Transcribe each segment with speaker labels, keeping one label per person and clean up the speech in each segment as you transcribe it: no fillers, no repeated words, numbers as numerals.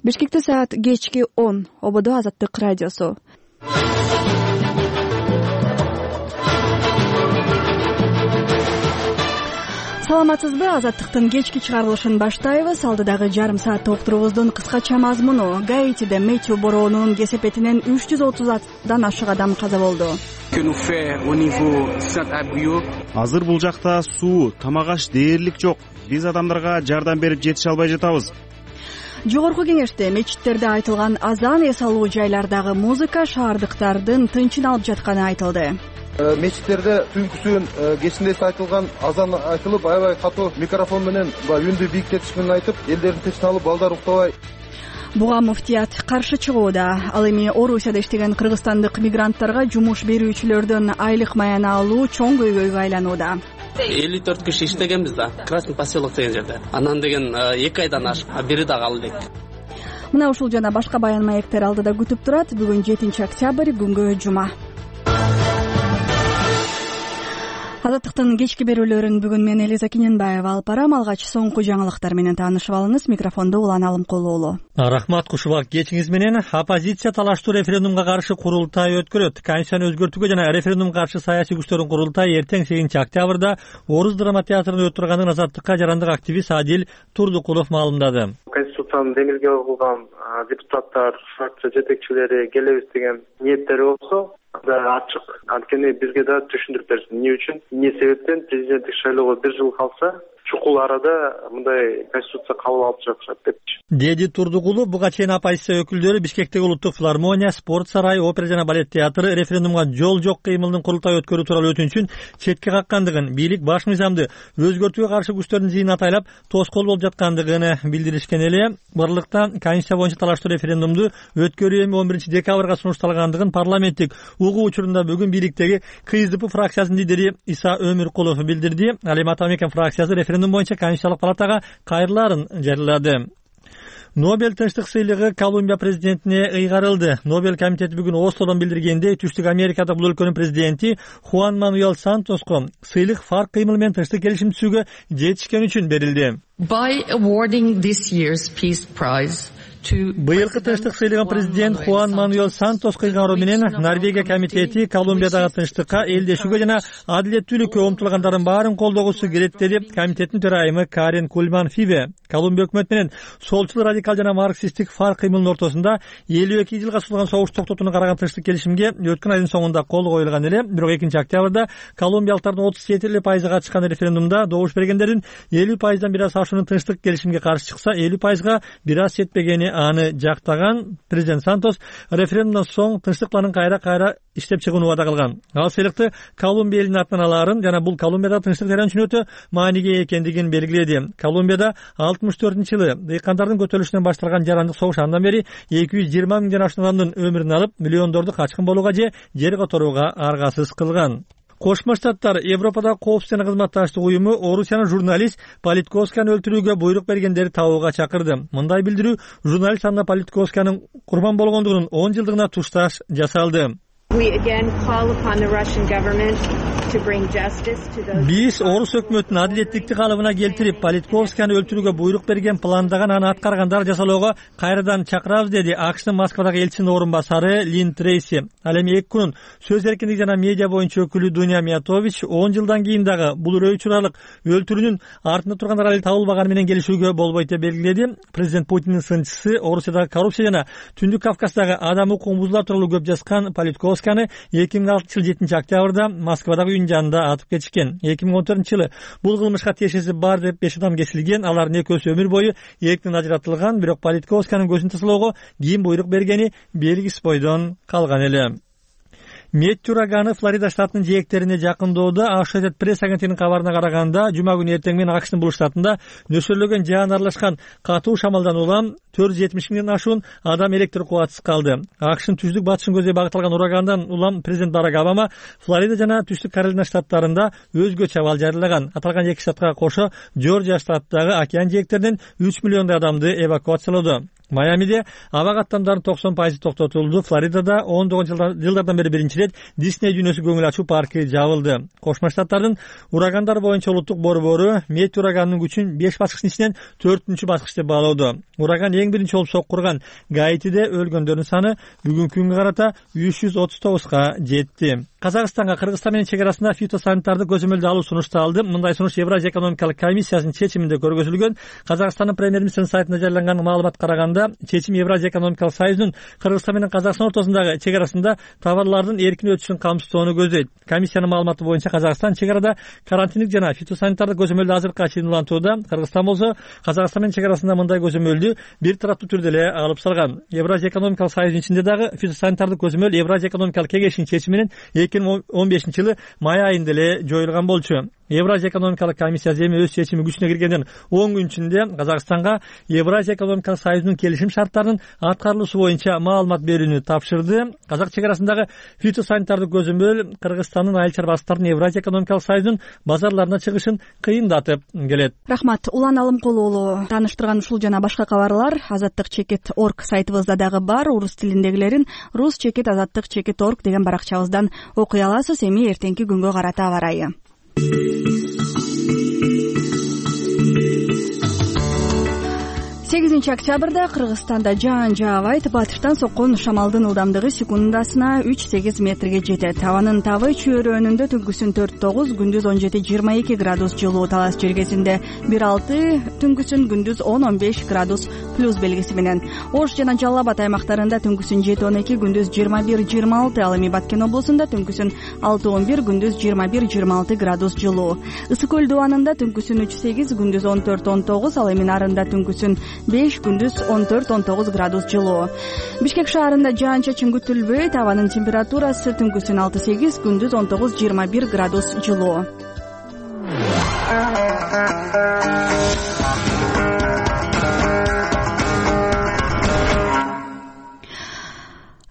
Speaker 1: Бишкекте саат кечки 10. Ободо Азаттык радиосу. Саламатсызбы? Азаттыктын кечки чыгарылышын баштайбыз. Алдыдагы жарым саатта уктуруубуздун кыскача мазмуну. Гаитиде Мэтью бороонунун кесепетинен 330дан ашык адам каза болду.
Speaker 2: Азыр бул жакта суу, тамак-аш дээрлик жок. Биз адамдарга жардам берип жетише албай жатабыз.
Speaker 1: Жогорку кеңеште мечиттерде айтылган азан, эс алуу жайлардагы музыка шаардыктардын тынчын алып жатканы айтылды.
Speaker 3: Мечиттерде түнкүсүн кечинде айтылган азан айтылып, аябай катуу микрофон менен үндү бийиктетиш менен айтып, элдердин тынчын алып, балдар уктабай.
Speaker 1: Буга муфтият каршы чыгууда. Ал эми Орусияда иштеген кыргызстандык мигранттарга жумуш берүүчүлөрдөн айлык маяны алуу чоң көйгөйгө айланууда.
Speaker 4: 54 киши иштегенбиз да, Красный поселок деген жерде. Анан деген 2 айдан ашып, бири да калды.
Speaker 1: Мына ушул жана башка баян маектер алдыда күтүп турат. Бүгүн 7 октябрь, күнгө жума. Азаттыктын кечки берүүлөрүн бүгүн мен Элиза Кененбаева алып барам. Алгач соңку жаңылыктар менен таанышып алыңыз. Микрофонду Улан Алымкулуулу.
Speaker 5: Рахмат Кушубак. Кечиңиз менен оппозиция талаштуу референдумга каршы курултай өткөрөт. Конституцияны өзгөртүүгө жана референдумга каршы саясий күчтөрдүн курултайы эртең 8 октябрда Орус драма театрында өтүп турганын Азаттыкка жарандык активист Адил Турдукулов маалымдады.
Speaker 6: Конституцияны демилге кылган депутаттар, фракция жетекчилери келебиз деген ниеттери болсо ачык. Анткени бизге да түшүндүрүп берсин. Эмне үчүн, эмне себептен президенттик шайлоого 1 жыл калса, чукул арада мындай конституция кабыл алып жатышат депчи.
Speaker 5: Деди Турдукулов буга чейин оппозиция өкүлдөрү Бишкектеги улуттук филармония, спорт сарайы, опера жана балет театры референдумга жол жок кыймылдын курултай өткөрүү тууралуу өтүнүчүн четке каккандыгын, бийлик баш мыйзамды өзгөртүүгө каршы күчтөрдүн зыйын атайлап тоскоол болуп жаткандыгын билдиришкен эле. Барлыкта Конституция боюнча талаштуу референдумду өткөрүү эми 11 декабрга сунушталгандыгын парламенттик угуу учурунда бүгүн бийликтеги КСДП фракциясынын лидери Иса Өмүркулов билдирди. Ал эми Атамекен фракциясы референдум боюнча Конституциялык палатага кайрылаарын жарыялады. Нобель тынчтык сыйлыгы Колумбия президентине ыйгарылды. Нобель комитети бүгүн Ослодон билдиргендей, Түштүк Америкада бул өлкөнүн президенти Хуан Мануэль Сантоско сыйлык фарк кыймыл менен тынчтык келишим түзүүгө жетишкен үчүн берилди.
Speaker 7: By awarding this year's Peace Prize
Speaker 5: Быйылкы тынчтык сыйлыгын президент Хуан Мануэль Сантос кыйгаруу менен Норвегия комитети Колумбиядагы тынчтыкка, элдешүүгө жана адилеттүүлүккө умтулгандардын баарын колдогусу керек деди комитеттин төрайымы Карен Кульман Фибе. Колумбия өкмөтү менен солчул радикал жана марксисттик фарк кыймылдын ортосунда 52 жылга созулган согуш токтотууну караган тынчтык келишимге өткөн айдын соңунда кол коюлган эле. Бирок 2 октябрда колумбиялыктардын 37% катышкан референдумда добуш бергендердин 50%дан бир аз ашуунун тынчтык келишимге каршы чыкса, 50%га бир аз жетпегени аны жактаган президент Сантос референдумдан соң тынчтык планын кайра иштеп чыгууну убада кылган. Ал сыйлыкты Колумбия элинин атынан алаарын жана бул Колумбияда тынчтык жаран үчүн өтө мааниге экендигин белгиледи. Колумбияда 64-жылы дыйкандардын көтөрүлүшүнөн башталган жарандык согуш андан бери 220 миңден ашуун адамдын өмүрүн алып, миллиондорду качкын болууга же жер которууга аргасыз кылган. Кошмо Штаттар Европадагы коопсуздук жана кызматташтык уюму Орусиянын журналист Политковсканы өлтүрүүгө буйрук бергендерди табууга чакырды. Мындай билдирүү журналист Анна Политковсканын курбан болгондугунун 10 жылдыгына тушташ жасалды. Биз Орус өкмөтүнүн адилеттикти калыбына келтирип, Политковсканы өлтүрүүгө буйрук берген, пландаган, аны аткаргандар жасалоого кайрадан чакырабыз, деди АКШтын Москвадагы элчисинин орун басары Лин Трейси. Ал эми 2 күнүн сөз эркиндиги жана медиа боюнча өкүлү Дуня Миятович 10 жылдан кийин дагы бул өрөө учуралык өлтүрүүнүн артында тургандар али табылбаганы менен келишүүгө болбойт деп белгиледи. Президент Путиндин сынчысы, Орусиядагы коррупция жана Түндүк Кавказдагы адам укугун бузуулар тууралуу көп жазган Политковсканы 2006 жыл 7 октябрда Москвадагы үйүнүн жанында атып кетишкен. 2014-жылы бул кылмышка тиешеси бар деп 5 адам кесилген. Алардын экөөсү өмүр бою эрктен ажыратылган, бирок Политковсканын көзүн тасалоого ким буйрук бергени белгисиз бойдон калган эле. Мэтью ураганы Флорида штатынын жээктерине жакындоодо. Associated Press агенттигинин кабарына караганда, жума күнү эртең менен АКШтын бул штатында нөсөрлөгөн жаан аралашкан катуу шамалдан улам 470 миңден ашуун адам электр кубатсыз калды. АКШтын түздүк батышын көздөй багытталган урагандан улам президент Барак Обама Флорида жана Түштүк Каролина штаттарында өзгөчө абал жарыялаган. Аталган эки штатка кошо Жоржия штатындагы океан жээктеринен 3 миллиондой адамды эвакуациялоодо. Майамиде аба каттамдардын 90% токтотулду. Флоридада 19 жылдардан бери биринчи ирет Дисней дүйнөсү көңүл ачуу паркы жабылды. Кошмо Штаттардын урагандар боюнча улуттук борбору Мет ураганынын күчүн 5 баскычтын ичинен 4-чү баскыч деп баалоодо. Ураган эң биринчи болуп соккурган Гаитиде өлгөндөрдүн саны бүгүнкү күнгө карата 339га жетти. Казакстанга Кыргызстан менен чек арасында фитосанитардык көзөмөлдү алуу сунушталды. Мындай сунуш Евразия экономикалык комиссиясынын чечиминде көргөзүлгөн. Казакстандын премьер-министринин сайтында жарыяланган маалыматка караганда, чечим Евразия экономикалык союзунун Кыргызстан менен Казакстан ортосундагы чек арасында товарлардын эркин өтүшүн камсыздоону көздөйт. Комиссиянын маалыматы боюнча Казакстан чек арада карантиндик жана фитосанитардык көзөмөлдү азыркыга чейин улантууда. Кыргызстан болсо Казакстан менен чек арасында мындай көзөмөлдү бир тараптуу түрдө эле алып салган. Евразия экономикалык союзунун ичинде дагы фитосанитардык көзөмөл Евразия экономикалык кеңешинин чечими менен 2015-жылы май айында эле жоюлган болчу. Евразия экономикалык комиссиясы эми өз чечими күчүнө киргенден 10 күн ичинде Казакстанга Евразия экономикалык союзунун келишим шарттарынын аткарылуусу боюнча маалымат берүүнү тапшырды. Казак чек арасындагы фитосанитардык көзөмөл Кыргызстандын айыл чарбачылыктарынын Евразия экономикалык союзунун базарларына чыгышын кыйындатып келет.
Speaker 1: Рахмат. Улан Алымкулуу тааныштырган ушул жана башка кабарлар azattik.org сайтыбызда дагы бар. Орус тилиндегилерин rus.azattik.org деген баракчабыздан окуй аласыз. Эми эртеңки күнгө карата аба ырайы. 8 октябрда Кыргызстанда жаан жаабайт. Батыштан соккон шамалдын ылдамдыгы секундасына 3-8 метрге жетет. Абанын табы чөйрөнүндө түнкүсүн 4-9, күндүз 17-22 градус жылуу, Талас жергесинде 1-6, түнкүсүн күндүз 10-15 градус плюс белгиси менен. Ош жана Жалал Абад аймактарында түнкүсүн 7-12, күндүз 21-26, ал эми Баткен облусунда түнкүсүн 6-11, күндүз 21-26 градус жылуу. Ысык көл дубанында түнкүсүн 3-8, күндүз 14-19, ал эми Нарында түнкүсүн 5, күндүз 14-19 градус жылуу. Бишкек шаарында жаан-чачын күтүлбөйт. Абанын температурасы түнкүсүн 6-8, күндүз 19-21 градус жылуу.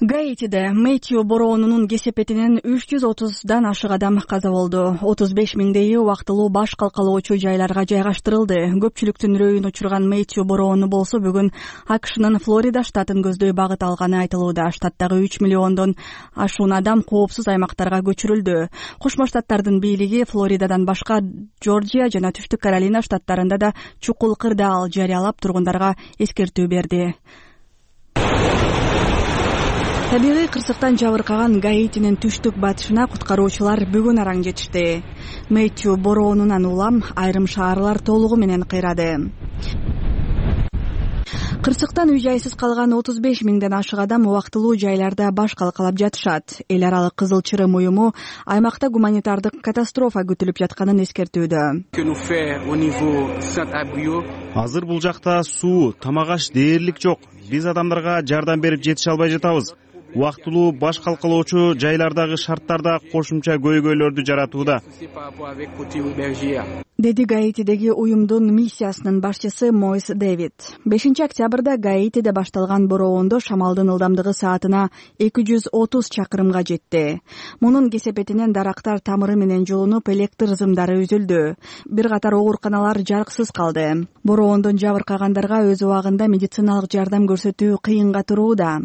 Speaker 1: Гаитиде Мэтью бороонунун кесепетинен 330дан ашык адам каза болду. 35 миңдейи убактылуу баш калкалоочу жайларга жайгаштырылды. Көпчүлүктүн үрөйүн учурган Мэтью бороону болсо бүгүн АКШнын Флорида штатын көздөй багыт алганы айтылууда. Штаттагы 3 миллиондон ашуун адам коопсуз аймактарга көчүрүлдү. Кошмо Штаттардын бийлиги Флоридадан башка Жоржия жана Түштүк Каролина штаттарында да чукул кырдаал жарыялап тургундарга эскертүү берди. Табигый кырсыктан жабыркаган Гаитинин түштүк батышына куткаруучулар бүгүн араң жетишти. Мэтью бороонунан улам айрым шаарлар толугу менен кыйрады. Кырсыктан үй-жайсыз калган 35 миңден ашык адам убактылуу жайларда баш калкалап жатышат. Эл аралык Кызыл Чырым уюму аймакта гуманитардык катастрофа күтүлүп жатканын эскертүүдө.
Speaker 2: Азыр бул жакта суу, тамак-аш дээрлик жок. Биз адамдарга жардам берип жетише албай жатабыз. Убактылуу баш калкалоочу жайлардагы шарттарда кошумча көйгөйлөрдү жаратууда, деди Гаитидеги уюмдун миссиясынын башчысы Мойс Дэвид. 5 октябрда Гаитиде башталган бороондо шамалдын ылдамдыгы саатына 230 чакырымга жетти. Мунун кесепетинен дарактар тамыры менен жолунуп, электр зымдары үзүлдү. Бир катар ооруканалар жарыксыз калды. Бороондон жабыркагандарга өз убагында медициналык жардам көрсөтүү кыйынга турууда.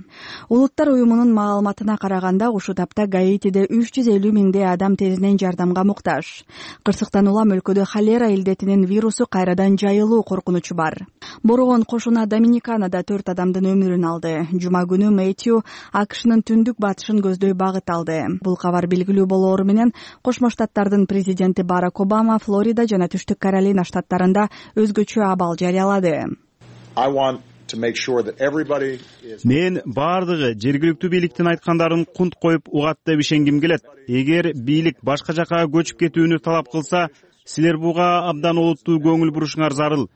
Speaker 2: Улуттар уюмунун маалыматына караганда, ушул тапта Гаитиде 350 миңдей адам тезинен жардамга муктаж. Кырсыктан улам өлкөдө холера илдетинин вирусу кайрадан жайылуу коркунучу бар. Бороон кошуна Доминиканада 4 адамдын өмүрүн алды. Жума күнү Мэтью АКШнын түндүк батышын көздөй багыт алды. Бул кабар белгилүү болоору менен Кошмо Штаттардын президенти Барак Обама Флорида жана Түштүк Каролина штаттарында өзгөчө абал жарыялады. Мен бардыгы жергиликтүү бийликтин айткандарын кунт коюп угат деп ишенгим келет. Эгер бийлик башка жака көчүп кетүүнү талап кылса, силер буга абдан олуттуу көңүл бурушуңар зарыл.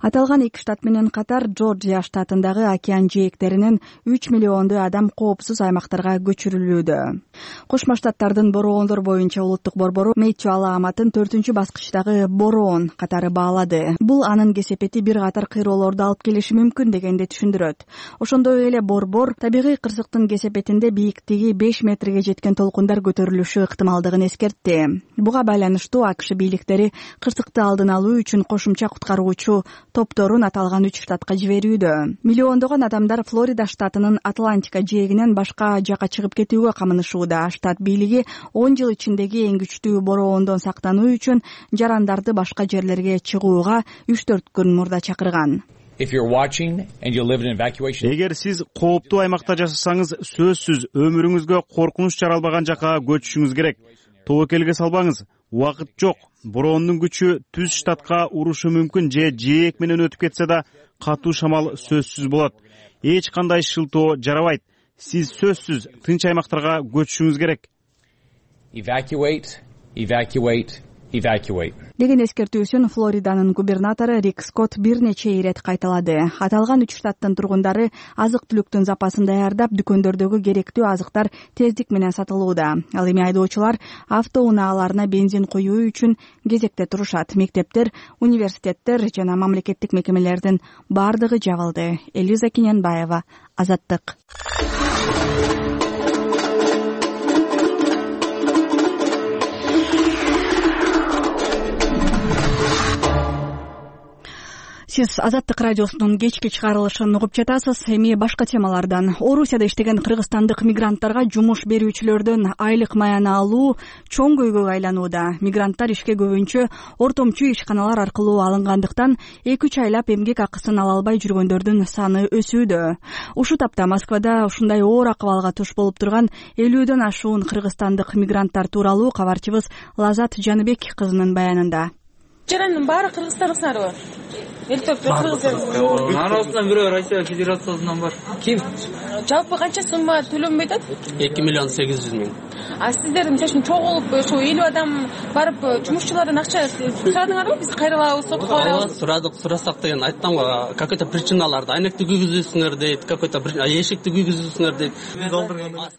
Speaker 1: Аталган 2 штат менен катар Жоржия штатындагы океан жээктеринен 3 миллиондой адам коопсуз аймактарга көчүрүлүүдө.
Speaker 2: Кошмо Штаттардын бороондор боюнча улуттук борбору Мэтью алааматын 4-баскычтагы бороон катары баалады. Бул анын кесепети бир катар кыйроолорду алып келиши мүмкүн дегенди түшүндүрөт. Ошондой эле борбор табигый кырсыктын кесепетинде бийиктиги 5 метрге жеткен толкундар көтөрүлүшү ыктымалдыгын эскертти. Буга байланыштуу АКШ бийликтери кырсыкты алдын алуу үчүн кошумча куткаруучу топторун аталган 3 штатка жиберүүдө. Миллиондогон адамдар Флорида штатынын Атлантика жээгинен башка жака чыгып кетүүгө камынышууда. Штат бийлиги 10 жыл ичиндеги эң күчтүү бороондон сактануу үчүн жарандарды башка жерлерге чыгууга 3-4 күн мурда чакырган.
Speaker 8: Эгер сиз кооптуу аймакта жашасаңыз, сөзсүз өмүрүңүзгө коркунуч жаралбаган жакка көчүшүңүз керек. Тобокелге салбаңыз. Убакыт жок. Бороондун күчү түз штатка урушу мүмкүн же жээк менен өтүп кетсе да, катуу шамал сөзсүз болот. Эч кандай шылтоо жарабайт. Сиз сөзсүз тынч аймактарга көчүшүңүз керек.
Speaker 2: Деген эскертүүсүн Флориданын губернатору Рик Скотт бир нече ирет кайталады. Аталган 3 штаттын тургундары азык-түлүктүн запасын даярдап, дүкөндөрдөгү керектүү азыктар тездик менен сатылууда. Ал эми айдоочулар автоунааларына бензин коюу үчүн кезекте турушат. Мектептер, университеттер жана мамлекеттик мекемелердин бардыгы жабылды. Элиза Киненбаева, Азаттык. Сиз Азаттык радиосунун кечки чыгарылышын угуп жатасыз. Эми башка темалардан. Орусияда иштеген кыргызстандык мигранттарга жумуш берүүчүлөрдөн айлык маяны алуу чоң көйгөйгө айланууда. Мигранттар ишке көбүнчө ортомчу ишканалар аркылуу алынгандыктан 2-3 айлап эмгек акысын ала албай жүргөндөрдүн саны өсүүдө. Ушул тапта Москвада ушундай оор акыбалга туш болуп турган 50дөн ашуун кыргызстандык мигранттар тууралуу кабарчыбыз Лазат Жаныбек кызынын баянында.
Speaker 9: Жарандын баары кыргызстандыктарбы? Анын арасынан бирөө Россия Федерациясынан бар. Ким? Жалпы канча сумма төлөнбөйт атат?
Speaker 4: 2,8 миллион.
Speaker 9: А сиздер мисалы чогулуп ошо 50 адам барып жумушчулардан акча сурадыңарбы? Биз кайрылабыз, сотко барабыз.
Speaker 4: Сурасак деген айттым го, какой-то причиналарды айнекти күйгүзүүсүңөр дейт, какой-то эшикти күйгүзүүсүңөр дейт.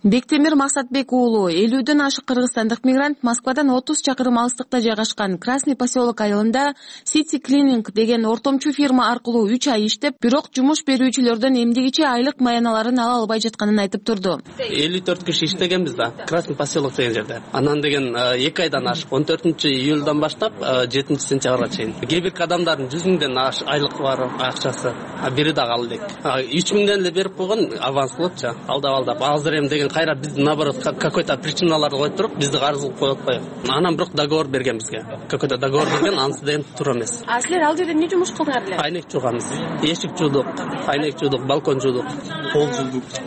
Speaker 10: Бектемир Максатбек уулу 50дөн ашык кыргызстандык мигрант Москвадан 30 чакырым алыстыкта жайгашкан Красный поселок айылында City Cleaning деген ортомчу фирма аркылуу 3 ай иштеп, бирок жумуш берүүчүлөрдөн эмдигичи айлык маяналарын ала албай жатканын айтып турду.
Speaker 4: 54 киши иштегенбиз да, Красный поселок деген жерде. Анан деген 2 айдан ашык 14-июлдан баштап 7-сентябрга чейин. Кээ бир адамдардын 100 миңден айлык бар акчасы, бири дагы ал элек. 3 миңден эле берип койгон аванслыкча, алдап. Азыр эми деген кайра биз наоборот какой-то причиналарды коюп туруп, бизди карыз кылып коюп атпайбы. Анан бирок договор берген бизге. Какой-то договор берген, анысы деген туура эмес.
Speaker 9: А силер ал жерде эмне жумуш кылдыңар эле?
Speaker 4: Айнек жууганбыз. Эшик жуудук, айнек жуудук, балкон жуудук,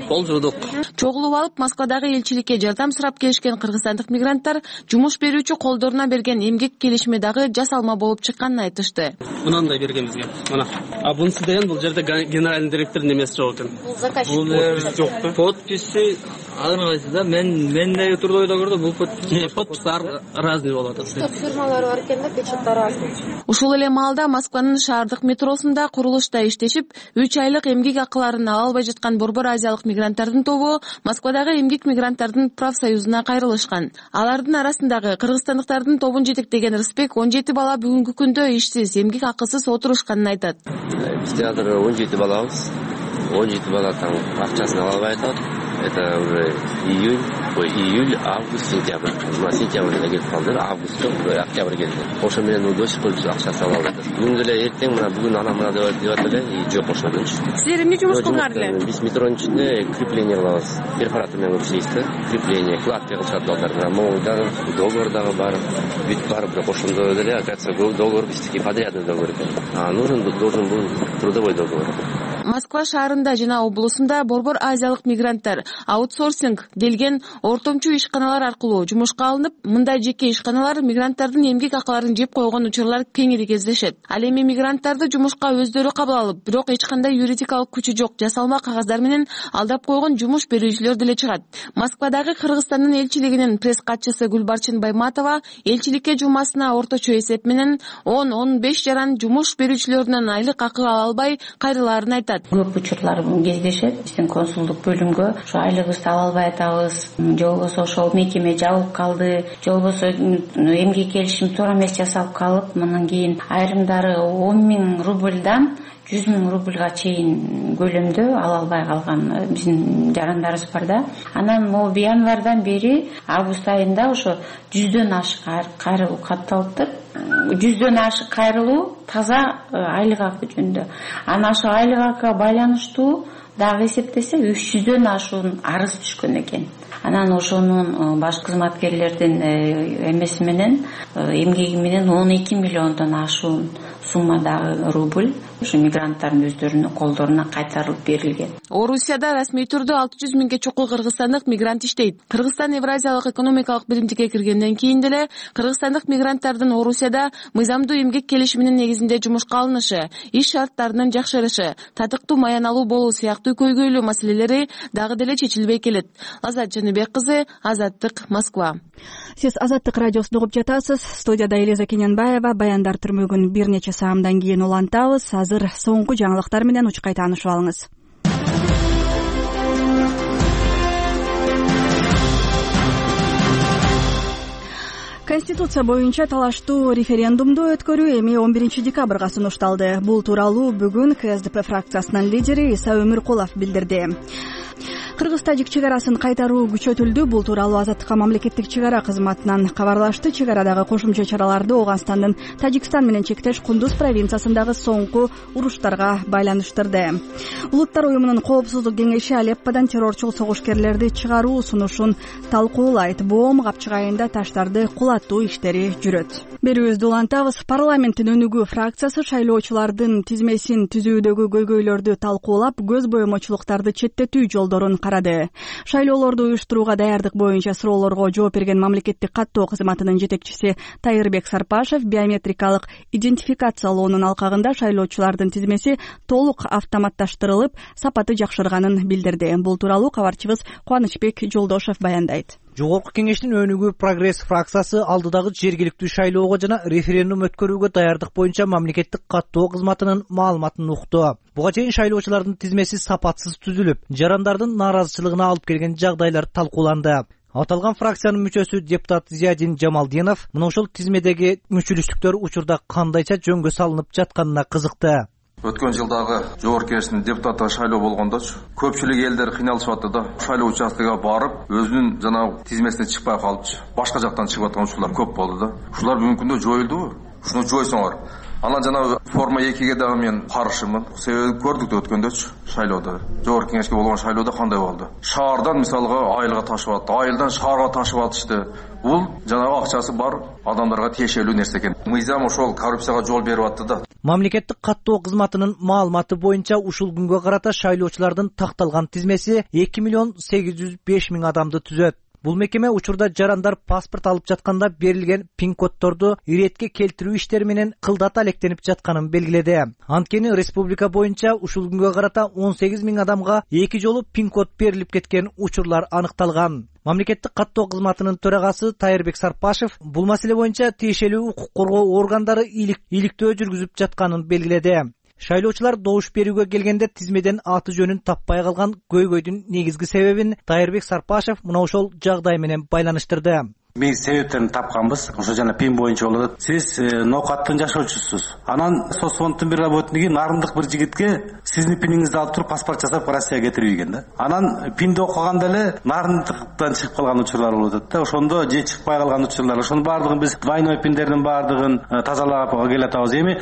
Speaker 4: пол жуудук.
Speaker 10: Чогулуп алып Москвадагы элчиликке жардам сурап келишкен кыргызстандык мигранттар жумуш берүүчү колдоруна берген эмгек келишими дагы жасалма болуп чыкканын айтышты.
Speaker 4: Мынандай берген бизге. Мына. А бунусу деген бул жерде генеральный директордун эмеси жок экен.
Speaker 9: Заказчик
Speaker 4: жок да.
Speaker 9: Подписи ар кайсы да. Мендеги трудовой договордо бул
Speaker 4: подпистер разный болот.
Speaker 9: Фирмалар бар экен да, печаттар разный.
Speaker 10: Ушул эле маалда Москванын шаардык метросунда курулушта иштешип, 3 айлык эмгек акыларын ала албай жаткан Борбор Азиялык мигранттардын тобу Москвадагы эмгек мигранттардын профсоюзуна кайрылышкан. Алардын арасындагы кыргызстандыктардын тобун жетектеген Рысбек 17 бала бүгүнкү күндө ишсиз, эмгек акысыз отурушканын айтат.
Speaker 11: Бизде азыр 17 балабыз. 17 бала там акчасын ала албай атат. Это уже июль, август, сентябрь. Сентябрда келип калды, августта, октябрь келди. Ошо менен до сих пор акчасын ала албайт. Бүгүн эле эртең мына бүгүн ана деп эле, жок ошондон.
Speaker 9: Силер эмне жумуш кылдыңар эле?
Speaker 11: Биз метронун ичинде крепление кылабыз. Перфоратор менен иштейбиз да. Крепление, кладка кылышат балдар. Могулдар, договор дагы бар. Бүт бар, бирок ошондо деле, оказывается, договор биздики подрядный договор экен. Должен был трудовой договор.
Speaker 10: Москва шаарында жана облусунда Борбор Азиялык мигранттар аутсорсинг делген ортомчу ишканалар аркылуу жумушка алынып, мындай жеке ишканалар мигранттардын эмгек акыларын жеп койгон учурлар кеңири кездешет. Ал эми мигранттарды жумушка өздөрү кабыл алып, бирок эч кандай юридикалык күчү жок жасалма кагаздар менен алдап койгон жумуш берүүчүлөр деле чыгат. Москвадагы Кыргызстандын элчилигинин пресс катчысы Гүлбарчын Байматова элчиликке жумасына орточо эсеп менен 10-15 жаран жумуш берүүчүлөрүнөн айлык акы ала албай кайрылаарын айтат. айтат.
Speaker 12: Көп учурлар кездешет. Биздин консулдук бөлүмгө ошо айлыгыбызды ала албай атабыз, же болбосо ошол мекеме жабылып калды, же болбосо эмгек келишим туура эмес жасалып калып, мындан кийин айрымдары 10 000 рубльдан 100 000 рубльга чейин көлөмдө ала албай калган биздин жарандарыбыз бар да. Анан могу январдан бери август айында ошо 100дөн ашык кайрылуу катталыптыр. 100дөн ашык кайрылуу таза айлык акы жөнүндө. Анан ошо айлык акыга байланыштуу дагы эсептесе 300дөн ашуун арыз түшкөн экен. Анан ошонун баш кызматкерлердин эмеси менен эмгеги менен 12 миллиондон ашуун суммадагы рубль ушу мигранттардын өздөрүнүн колдоруна кайтарылып берилген.
Speaker 10: Орусияда расмий түрдө 600 миңге чукул кыргызстандык мигрант иштейт. Кыргызстан Евразиялык экономикалык биримдикке киргенден кийин деле кыргызстандык мигранттардын Орусияда мыйзамдуу эмгек келишиминин негизинде жумушка алынышы, иш шарттарынын жакшырышы, татыктуу маяналуу болуу сыяктуу көйгөйлүү маселелери дагы деле чечилбей келет. Азат Жаныбек кызы, Азаттык, Москва.
Speaker 2: Сиз Азаттык радиосун угуп жатасыз. Студияда Элиза Кененбаева. Баяндар түрмөгүн бир нече саамдан кийин улантабыз. Азыр соңку жаңылыктар менен учкай таанышып алыңыз. Конституция боюнча талаштуу референдумду өткөрүү эми 11 декабрга сунушталды. Бул тууралуу бүгүн КСДП фракциясынын лидери Иса Өмүркулов билдирди. Кыргыз-тажик чегарасын кайтаруу күчөтүлдү. Бул тууралуу Азаттыкка мамлекеттик чегара кызматынан кабарлашты. Чегарадагы кошумча чараларды Ооганстандын Тажикстан менен чектеш Кундуз провинциясындагы соңку уруштарга байланыштырды. Улуттар уюмунун коопсуздук кеңеши Алепподан террорчу согушкерлерди чыгаруу сунушун талкуулайт. Боом капчык айында таштарды кулатуу иштери жүрөт. Берүүбүздү улантабыз. Парламенттин өнүгүү фракциясы шайлоочулардын тизмесин түзүүдөгү көйгөйлөрдү талкуулап, көз боемочулуктарды четтетүү жолдорун карады. Шайлоолорду уюштурууга даярдык боюнча суроолорго жооп берген мамлекеттик каттоо кызматынын жетекчиси Тайырбек Сарпашев биометрикалык идентификациялоонун алкагында шайлоочулардын тизмеси толук автоматташтырылып, сапаты жакшырганын билдирди. Бул тууралуу кабарчыбыз Кубанычбек Жолдошев баяндайт.
Speaker 13: Жогорку кеңештин өнүгүү прогресс фракциясы алдыдагы жергиликтүү шайлоого жана референдум өткөрүүгө даярдык боюнча мамлекеттик каттоо кызматынын маалыматын укту. Буга чейин шайлоочулардын тизмеси сапатсыз түзүлүп, жарандардын нааразычылыгына алып келген жагдайлар талкууланды. Аталган фракциянын мүчөсү депутат Зиядин Жамалдинов мына ошол тизмедеги мүчүлүштүктөр учурда кандайча жөнгө салынып жатканына кызыкты.
Speaker 14: Өткөн жылдагы жогорку кеңештин депутаттыгы шайлоо болгондочу көпчүлүк элдер кыйналышып атты да. Шайлоо участогуна барып, өзүнүн жанагы тизмесине чыкпай калыпчы. Башка жактан чыгып аткан учурлар көп болду да. Ушулар бүгүнкү күндө жоюлдубу? Ушуну жойсоңор. Анан жанагы форма 2ге дагы мен каршымын. Себеби көрдүк да өткөндөчү шайлоодо. Жогорку кеңешке болгон шайлоодо кандай болду? Шаардан мисалга айылга ташып атты, айылдан шаарга ташып атышты. Бул жанагы акчасы бар адамдарга тиешелүү нерсе экен. Мыйзам ошол коррупцияга жол берип атты да.
Speaker 13: Мамлекеттик каттоо кызматынын маалыматы боюнча ушул күнгө карата шайлоочулардын такталган тизмеси 2 805 000 адамды түзөт. Бул мекеме учурда жарандар паспорт алып жатканда берилген пин-коддорду иретке келтирүү иштери менен кылдат алектенип жатканын белгиледи. Анткени республика боюнча ушул күнгө карата 18 000 адамга 2 жолу пин-код берилип кеткен учурлар аныкталган. Мамлекеттик каттоо кызматынын төрагасы Тайырбек Сарпашев бул маселе боюнча тиешелүү укук коргоо органдары иликтөө жүргүзүп жатканын белгиледи. Шайлоочулар добуш берүүгө келгенде тизмеден аты жөнүн таппай калган көйгөйдүн негизги себебин Тайырбек Сарпашев мына ошол жагдай менен байланыштырды.
Speaker 15: Биз себептерин тапканбыз. Ошо жана пин боюнча болот. Сиз Нокаттын жашоочусуз. Анан соцфонддун бир работниги нарындык бир жигитке сиздин пиниңизди алып туруп паспорт жасап Россияга кетирип ийген да. Анан пинди окуганда эле нарындыктан чыгып калган учурлар болуп атат да. Ошондо же чыкпай калган учурлар. Ошонун баардыгын биз двойной пиндердин баардыгын тазалап келатабыз. Эми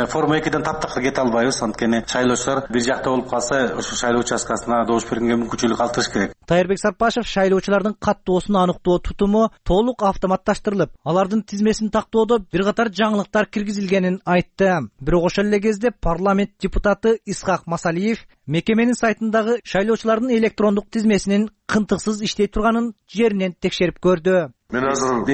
Speaker 15: форма 2ден таптакка кете албайбыз. Анткени шайлоочулар бир жакта болуп калса, ошо шайлоо участкасына добуш бергенге мүмкүнчүлүк калтырыш керек.
Speaker 13: Тайырбек Сарпашев шайлоочулардын каттоосун аныктоо тутуму толук автоматташтырылып, алардын тизмесин тактоодо бир катар жаңылыктар киргизилгенин айтты. Бирок ошол эле кезде парламент депутаты Исхак Масалиев мекеменин сайтындагы шайлоочулардын электрондук тизмесинин кынтыксыз иштей турганын жеринен текшерип көрдү.
Speaker 16: Мен азыр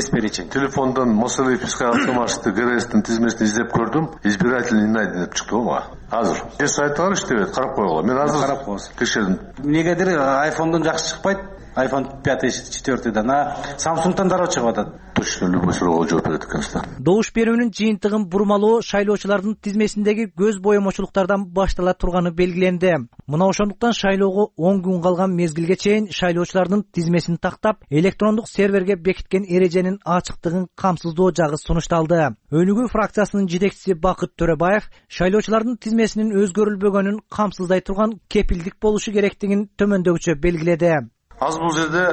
Speaker 16: телефондон Масалиев Исхак Атамашевди ГРСтин тизмесин издеп көрдүм. Избирательный найден деп чыкты го. Азыр сайттар иштебейт, карап койгула. Мен азыр карап коебуз. Текшердим.
Speaker 15: Негедир айфондон жакшы чыкпайт. iPhone 5, 4-дан, Samsung'dan дароо чыгып атат.
Speaker 16: точно любой суроого жооп берет экенсиз.
Speaker 13: Добуш берүүнүн жыйынтыгын бурмалоо шайлоочулардын тизмесиндеги көз боемочулуктардан баштала турганы белгиленди. Мына ошондуктан шайлоого 10 күн калган мезгилге чейин шайлоочулардын тизмесин тактап, электрондук серверге бекиткен эреженин ачыктыгын камсыздоо жагы сунушталды. Өнүгүү фракциясынын жетекчиси Бакыт Төрөбаев шайлоочулардын тизмесинин өзгөрүлбөгөнүн камсыздай турган кепилдик болушу керектигин төмөндөгүчө белгиледи.
Speaker 15: Азыр бул жерде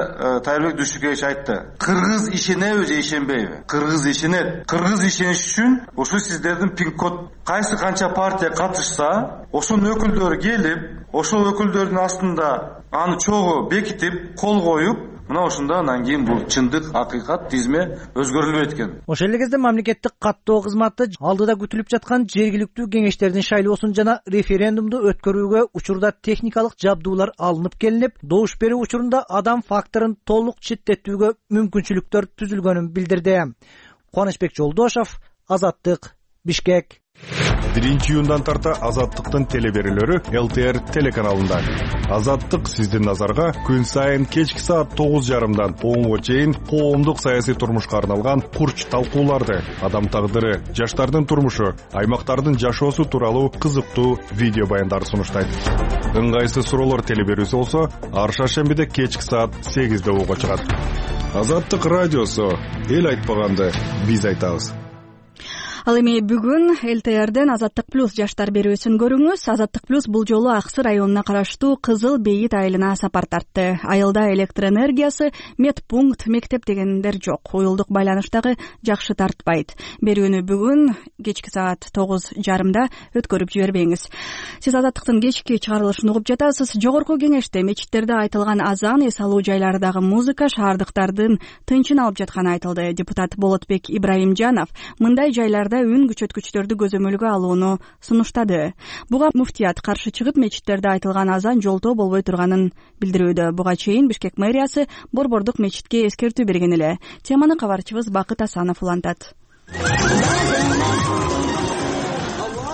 Speaker 15: Тайырбек Дүйшүкевич айтты. Кыргыз ишенеби же ишенбейби? Кыргыз ишенет. Кыргыз ишениш үчүн ушу сиздердин пин-код кайсы канча партия катышса, ошонун өкүлдөрү келип, ошол өкүлдөрдүн астында аны чогуу бекитип, кол коюп, мына ошондо анан кийин бул чындык, акыйкат тизме өзгөрүлбөйт экен.
Speaker 13: Ошол эле кезде мамлекеттик каттоо кызматы алдыда күтүлүп жаткан жергиликтүү кеңештердин шайлоосун жана референдумду өткөрүүгө учурда техникалык жабдуулар алынып келинип, добуш берүү учурунда адам факторун толук четтетүүгө мүмкүнчүлүктөр түзүлгөнүн билдирди. Кубанычбек Жолдошов, Азаттык, Бишкек.
Speaker 17: 1-июндан тарта Азаттыктын телеберүүлөрү ЛТР телеканалында. Азаттык сиздин назарга күн сайын кечки саат 9:30дан 10га чейин коомдук саясий турмушка арналган курч талкууларды, адам тагдыры, жаштардын турмушу, аймактардын жашоосу тууралуу кызыктуу видео баяндарды сунуштайт. Ыңгайсыз суроолор телеберүүсү болсо, ар шаршембиде кечки саат 8:00 угуга чыгат. Азаттык радиосу, эл айтпаганды биз айтабыз.
Speaker 2: Ал эми бүгүн ЛТРден Азаттык плюс жаштар берүүсүн көрүңүз. Азаттык плюс бул жолу Аксы районуна караштуу Кызыл Бейит айылына сапар тартты. Айылда электр энергиясы, медпункт, мектеп дегендер жок. Уюлдук байланыштагы жакшы тартпайт. Берүүнү бүгүн кечки саат 9:30 өткөрүп жибербеңиз. Сиз Азаттыктын кечки чыгарылышын угуп жатасыз. Жогорку кеңеште мечиттерде айтылган азан, эс алуу жайлардагы музыка шаардыктардын тынчын алып жатканы айтылды. Депутат Болотбек Ибраимжанов мындай жайларда үн күчөткүчтөрдү көзөмөлгө алууну сунуштады. Буга муфтият каршы чыгып, мечиттерде айтылган азан жолтоо болбой турганын билдирүүдө. Буга чейин Бишкек мэриясы Борбордук мечитке эскертүү берген эле. Теманы кабарчыбыз Бакыт Асанов улантат.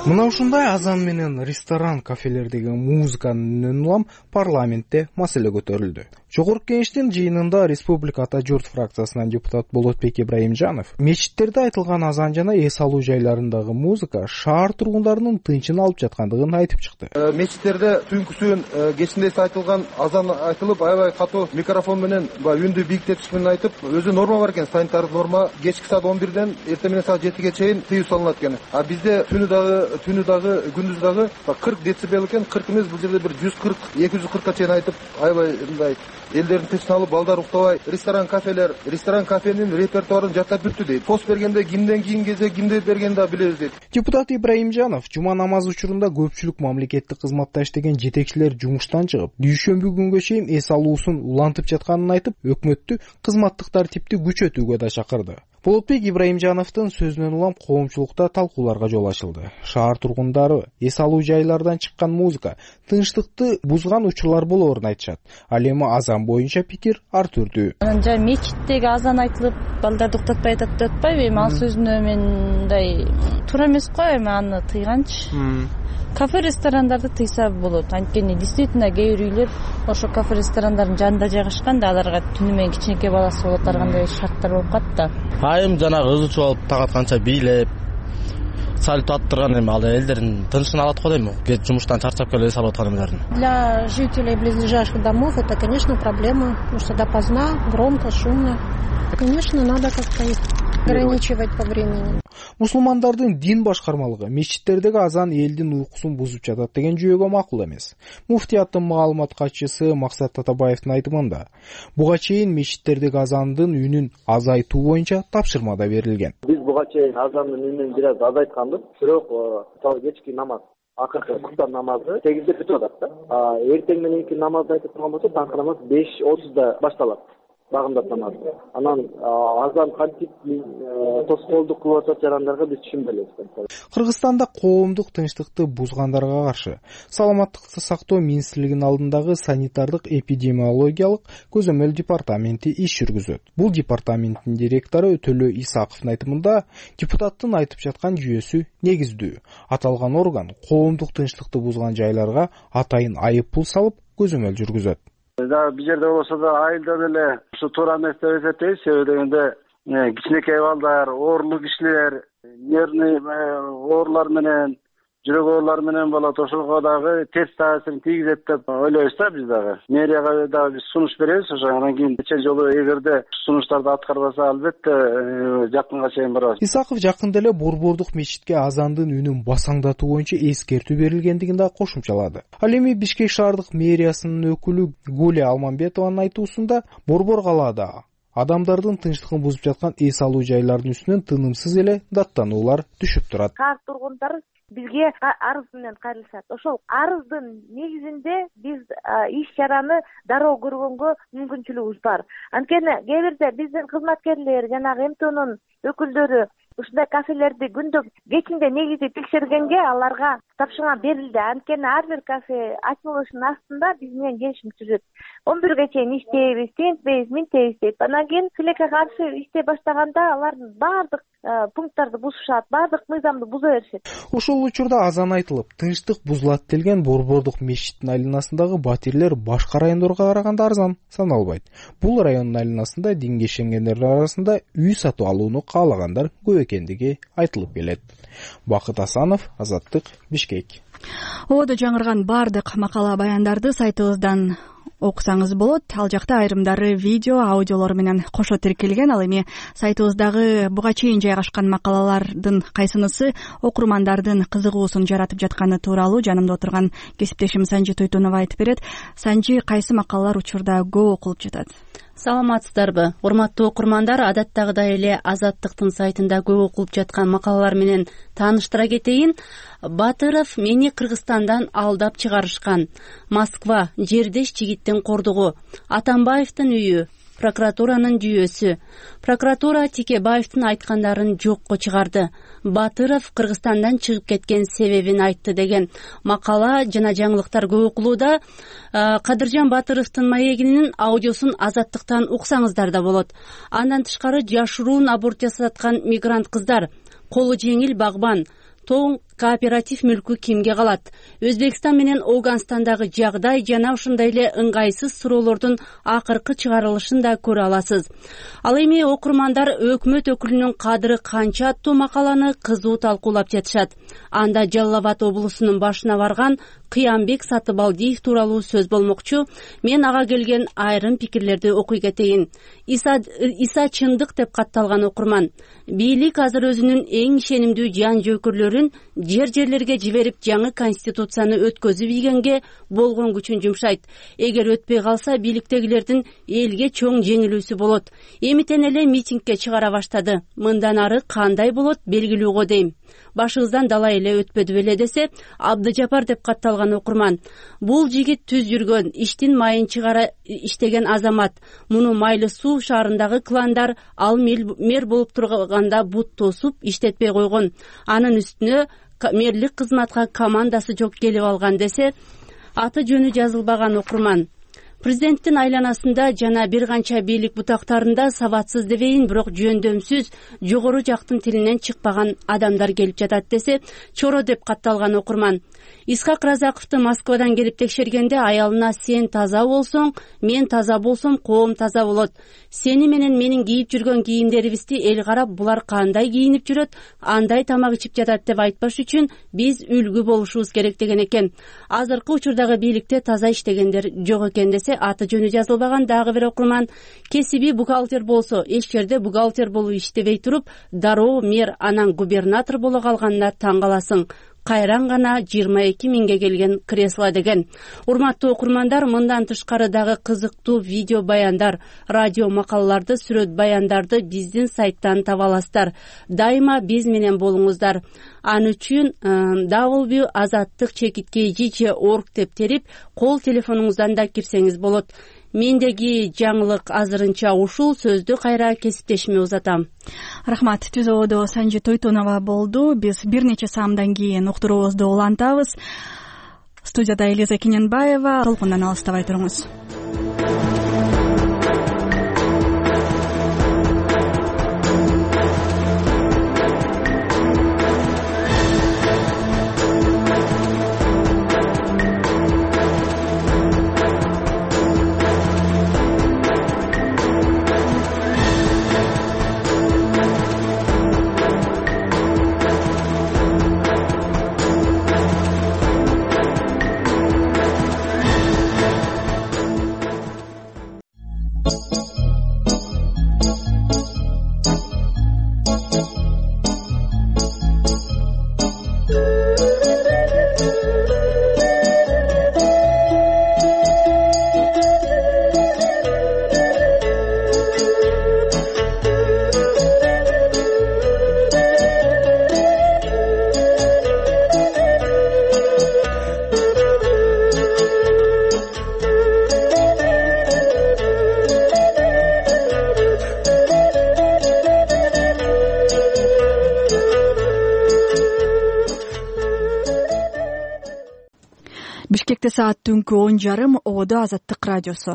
Speaker 18: Мына ушундай азан менен ресторан, кафелердеги музыканын үнүн улам парламентте маселе көтөрүлдү. Жогорку кеңештин жыйынында Республика Ата журт фракциясынан депутат Болотбек Ибраимжанов мечиттерде айтылган азан жана эс алуу жайларындагы музыка шаар тургундарынын тынчын алып жаткандыгын айтып чыкты.
Speaker 3: Мечиттерде түнкүсүн кечинде айтылган азан айтылып, аябай катуу микрофон менен үндү бийиктетиш менен айтып, өзү норма бар экен, санитардык норма. Кечки саат 11ден эртең менен саат 7ге чейин тыюу салынат экен. А бизде түнү дагы күндүз дагы 40 децибел экен. 40 эмес, бул жерде бир 140-240ка чейин айтып, аябай мындай элдердин тынчын алып, балдар уктабай, ресторан кафенин репертуарын жаттап бүттү дейт. Пост бергенде кимден кийин келсе, кимди бергенде билебиз дейт.
Speaker 18: Депутат Ибраимжанов жума намазы учурунда көпчүлүк мамлекеттик кызматта иштеген жетекчилер жумуштан чыгып, дүйшөмбү күнгө чейин эс алуусун улантып жатканын айтып, өкмөттү кызматтык тартипти күчөтүүгө да чакырды. Болотбек Ибраимжановдун сөзүнөн улам коомчулукта талкууларга жол ачылды. Шаар тургундары эс алуу жайлардан чыккан музыка тынчтыкты бузган учурлар болоорун айтышат. Ал эми азан боюнча пикир ар түрдүү.
Speaker 19: Жа мечиттеги азан айтылып, балдарды уктатпай атат деп атпайбы? Эми ал сөзүнө мындай туура эмес го, эми аны тыйганчы. Кафе ресторандарды тыйса болот. Анткени действительно кээ бир үйлөр ошо кафе ресторандардын жанында жайгашкан да, аларга түнү менен кичинекей баласы болот, ар кандай шарттар болуп калат да.
Speaker 20: Айым жанагы ызычуу болуп тагытканча бийлеп салют аттырган, эми ал элдердин тынчын алат го дейм. Жумуштан чарчап келип эс алып аткан эмелерин.
Speaker 21: Для жителей близлежащих домов это, конечно, проблема, потому что допоздна, громко, шумно. Конечно, надо как-то ограничивать по времени.
Speaker 18: Мусулмандардын дин башкармалыгы мечиттердеги азан элдин уйкусун бузуп жатат деген жүйөгө макул эмес. Муфтияттын маалымат катчысы Максат Татабаевдин айтымында, буга чейин мечиттердеги азандын үнүн азайтуу боюнча тапшырма да берилген.
Speaker 6: Биз буга чейин азандын үнүн бир аз азайтканбыз, бирок кечки намаз, акыркы куптан намазы 8де бүтүп атат да. Эртең мененки намазды айтып турган болсо, таңкы намаз 5:30да башталат. Багымдап намаз. Анан азан кантип тоскоолдук кылып атат жарандарга биз түшүнбөй элебиз.
Speaker 18: Кыргызстанда коомдук тынчтыкты бузгандарга каршы Саламаттыкты сактоо министрлигинин алдындагы санитардык эпидемиологиялык көзөмөл департаменти иш жүргүзөт. Бул департаменттин директору Төлө Исаковдун айтымында, депутаттын айтып жаткан жүйөсү негиздүү. Аталган орган коомдук тынчтыкты бузган жайларга атайын айып пул салып көзөмөл жүргүзөт.
Speaker 22: Бул жерде болсо да айылда деле ушу туура эмес деп эсептейбиз. Себеби дегенде
Speaker 7: кичинекей балдар, оорулуу кишилер, нервный оорулар менен, жүрөк оорулары менен болот. Ошого дагы терс таасирин тийгизет деп ойлойбуз да биз дагы. Мэрияга дагы биз сунуш беребиз. Ошо анан кийин нече жолу эгерде сунуштарды аткарбаса, албетте жакынга чейин барабыз.
Speaker 18: Исаков жакында эле Борбордук мечитке азандын үнүн басаңдатуу боюнча эскертүү берилгендигин да кошумчалады. Ал эми Бишкек шаардык мэриясынын өкүлү Гуля Алмамбетованын айтуусунда Борбор калаада адамдардын тынчтыгын бузуп жаткан эс алуу жайлардын үстүнөн тынымсыз эле даттануулар түшүп турат.
Speaker 22: Шаар тургундары бизге арыз менен кайрылышат. Ошол арыздын негизинде биз иш чараны дароо көргөнгө мүмкүнчүлүгүбүз бар. Анткени кээ бирде биздин кызматкерлер, жанагы МТОнун өкүлдөрү ушундай кафелерди күндө кечинде негизи текшергенге аларга тапшырма берилди. Анткени ар бир кафе ачылышынын астында биз менен келишим түзөт. 11ге чейин иштейбиз, тинтпейбиз, минтебиз дейт. Анан кийин тилекке каршы иштей баштаганда алардын баардык пункттарды бузушат, баардык мыйзамды буза беришет.
Speaker 18: Ошол учурда азан айтылып, тынчтык бузулат делген Борбордук мечиттин айланасындагы батирлер башка райондорго караганда арзан саналбайт. Бул райондун айланасында динге ишенгендер арасында үй сатып алууну каалагандар көп экендиги айтылып келет. Бакыт Асанов, Азаттык, Бишкек.
Speaker 2: Ободо жаңырган бардык макала баяндарды сайтыбыздан окусаңыз болот. Ал жакта айрымдары видео, аудиолор менен кошо тиркелген. Ал эми сайтыбыздагы буга чейин жайгашкан макалалардын кайсынысы окурмандардын кызыгуусун жаратып жатканы тууралуу жанымда отурган кесиптешим Санжи Тойтонова айтып берет. Санжи, кайсы макалалар учурда көп окулуп жатат?
Speaker 23: Саламатсыздарбы? Урматтуу окурмандар, адаттагыдай эле Азаттыктын сайтында көп окулуп жаткан макалалар менен тааныштыра кетейин. Батыров мени Кыргызстандан алдап чыгарышкан. Москва, жердеш жигиттин кордугу. Атамбаевдин үйү. Прокуратуранын жүйөсү. Прокуратура Тикебаевдин айткандарын жокко чыгарды. Батыров Кыргызстандан чыгып кеткен себебин айтты деген макала жана жаңылыктар көп окулууда. Кадыржан Батыровдун маегинин аудиосун Азаттыктан уксаңыздар да болот. Андан тышкары жашыруун аборт жасаткан мигрант кыздар, колу жеңил багбан, тоң кооператив мүлкү кимге калат? Өзбекстан менен Ауганстандагы жагдай жана ушундай эле ыңгайсыз суроолордун акыркы чыгарылышын да көрө аласыз. Ал эми окурмандар өкмөт өкүлүнүн кадыры канча аттуу макаланы кызуу талкуулап жатышат. Анда Жалал Абад облусунун башына барган Кыямбек Сатыбалдиев тууралуу сөз болмокчу. Мен ага келген айрым пикирлерди окуй кетейин. Иса чындык деп катталган окурман. Бийлик азыр өзүнүн эң ишенимдүү жан жөкүрлөрүн жерлерге жиберип жаңы конституцияны өткөзүп ийгенге болгон күчүн жумшайт. Эгер өтпөй калса бийликтегилердин элге чоң жеңилүүсү болот. Эмитен эле митингге чыгара баштады. Мындан ары кандай болот белгилүү го дейм. Башыбыздан далай эле өтпөдү беле десе, Абдыжапар деп катталган окурман. Бул жигит түз жүргөн, иштин майын чыгара иштеген азамат. Муну Майлы Суу шаарындагы кландар ал мэр болуп турганда бут тосуп иштетпей койгон. Анын үстүнө мэрлик кызматка командасы жок келип алган десе, аты жөнү жазылбаган окурман. Президенттин айланасында жана бир канча бийлик бутактарында сабатсыз дебейин, бирок жөндөмсүз, жогору жактын тилинен чыкпаган адамдар келип жатат десе, чоро деп катталган окурман. Исхак Разаковду Москвадан келип текшергенде аялына сен таза болсоң, мен таза болсом, коом таза болот. Сени менен менин кийип жүргөн кийимдерибизди эл карап, булар кандай кийинип жүрөт, андай тамак ичип жатат деп айтпаш үчүн биз үлгү болушубуз керек деген экен. Азыркы учурдагы бийликте таза иштегендер жок экен десе, аты жөнү жазылбаган дагы бир окурман. Кесиби бухгалтер болсо, эч жерде бухгалтер болуп иштебей туруп, дароо мэр анан губернатор боло калганына таң каласың. Кайран гана 22 миңге келген кресло деген. Урматтуу окурмандар, мындан тышкары дагы кызыктуу видео баяндар, радио макалаларды, сүрөт баяндарды биздин сайттан таба аласыздар. Дайыма биз менен болуңуздар. Ан үчүн www.azattik.org деп терип, кол телефонуңуздан да кирсеңиз болот. Мендеги жаңылык азырынча ушул, сөздү кайра кесиптешиме узатам.
Speaker 2: Рахмат. Түз ободо Санжи Тойтонова болду. Биз бир нече саамдан кийин уктуруубузду улантабыз. Студияда Элиза Кененбаева. Толкундан алыстабай туруңуз. Бишкекте саат түнкү 10:30. Ободо Азаттык радиосу.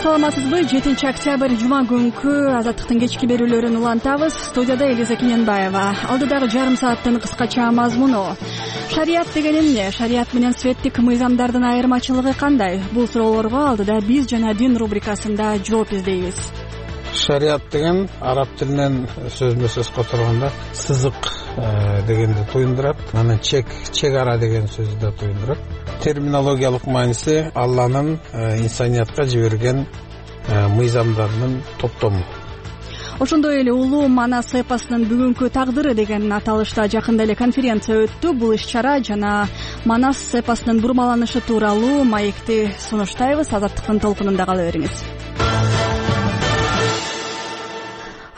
Speaker 2: Саламатсызбы? 7 октябрь жума күнкү Азаттыктын кечки берүүлөрүн улантабыз. Студияда Элиза Кененбаева. Алдыдагы жарым сааттын кыскача мазмуну. Шарият деген эмне? Шарият менен светтик мыйзамдардын айырмачылыгы кандай? Бул суроолорго алдыда биз жана дин рубрикасында жооп издейбиз.
Speaker 1: Шариат деген араб тилинен сөзмө сөз которгондо сызык дегенди туюндурат. Анан чек ара деген сөздү да туюндурат. Терминологиялык мааниси Алланын инсаниятка жиберген мыйзамдарынын топтому.
Speaker 2: Ошондой эле улуу Манас эпосунун бүгүнкү тагдыры деген аталышта жакында эле конференция өттү. Бул иш-чара жана Манас эпосунун бурмаланышы тууралуу маекти сунуштайбыз. Азаттыктын толкунунда кала бериңиз.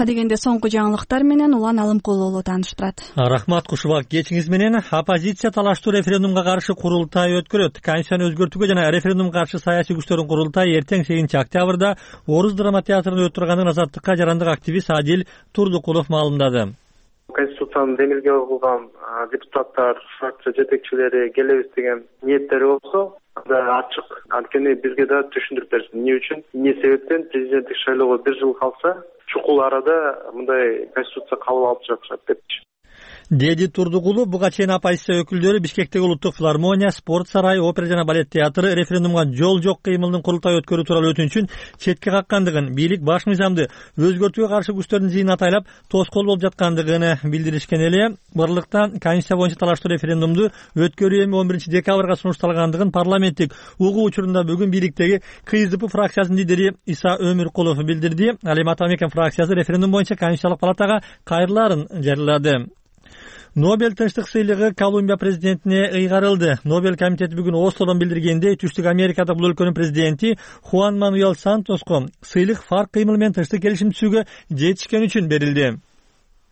Speaker 2: Адегенде соңку жаңылыктар менен Улан Алымкулуулу тааныштырат.
Speaker 5: Рахмат Кушубак, кечиңиз менен оппозиция талаштуу референдумга каршы курултай өткөрөт. Конституцияны өзгөртүүгө жана референдумга каршы саясий күчтөрдүн курултайы эртең 8 октябрда Орус драма театрында өтүп турганын Азаттыкка жарандык активист Адил Турдукулов маалымдады.
Speaker 6: Конституцияны демилге кылган депутаттар, фракция жетекчилери келебиз деген ниеттери болсо, анда ачык. Анткени бизге да түшүндүрүп берсин. Эмне үчүн, эмне себептен президенттик шайлоого 1 жыл калса, чукул арада мындай конституция кабыл алып жатышат депчи.
Speaker 5: Деди Турдукулов буга чейин оппозиция өкүлдөрү Бишкектеги улуттук филармония, спорт сарайы, опера жана балет театры референдумга жол жок кыймылдын курултай өткөрүү тууралуу өтүнүчүн четке каккандыгын, бийлик баш мыйзамды өзгөртүүгө каршы күчтөрдүн жыйынын атайлап тоскоол болуп жаткандыгын билдиришкен эле. Барлыкта Конституция боюнча талаштуу референдумду өткөрүү эми 11 декабрга сунушталгандыгын парламенттик угуу учурунда бүгүн бийликтеги КСДП фракциясынын лидери Иса Өмүркулов билдирди. Ал эми Атамекен фракциясы референдум боюнча Конституциялык палатага кайрылаарын жарыялады. Нобель тынчтык сыйлыгы Колумбия президентине ыйгарылды. Нобель комитети бүгүн Ослодон билдиргендей, Түштүк Америкада бул өлкөнүн президенти Хуан Мануэль Сантоско сыйлык фарк кыймыл менен тынчтык келишим түзүүгө жетишкен үчүн берилди.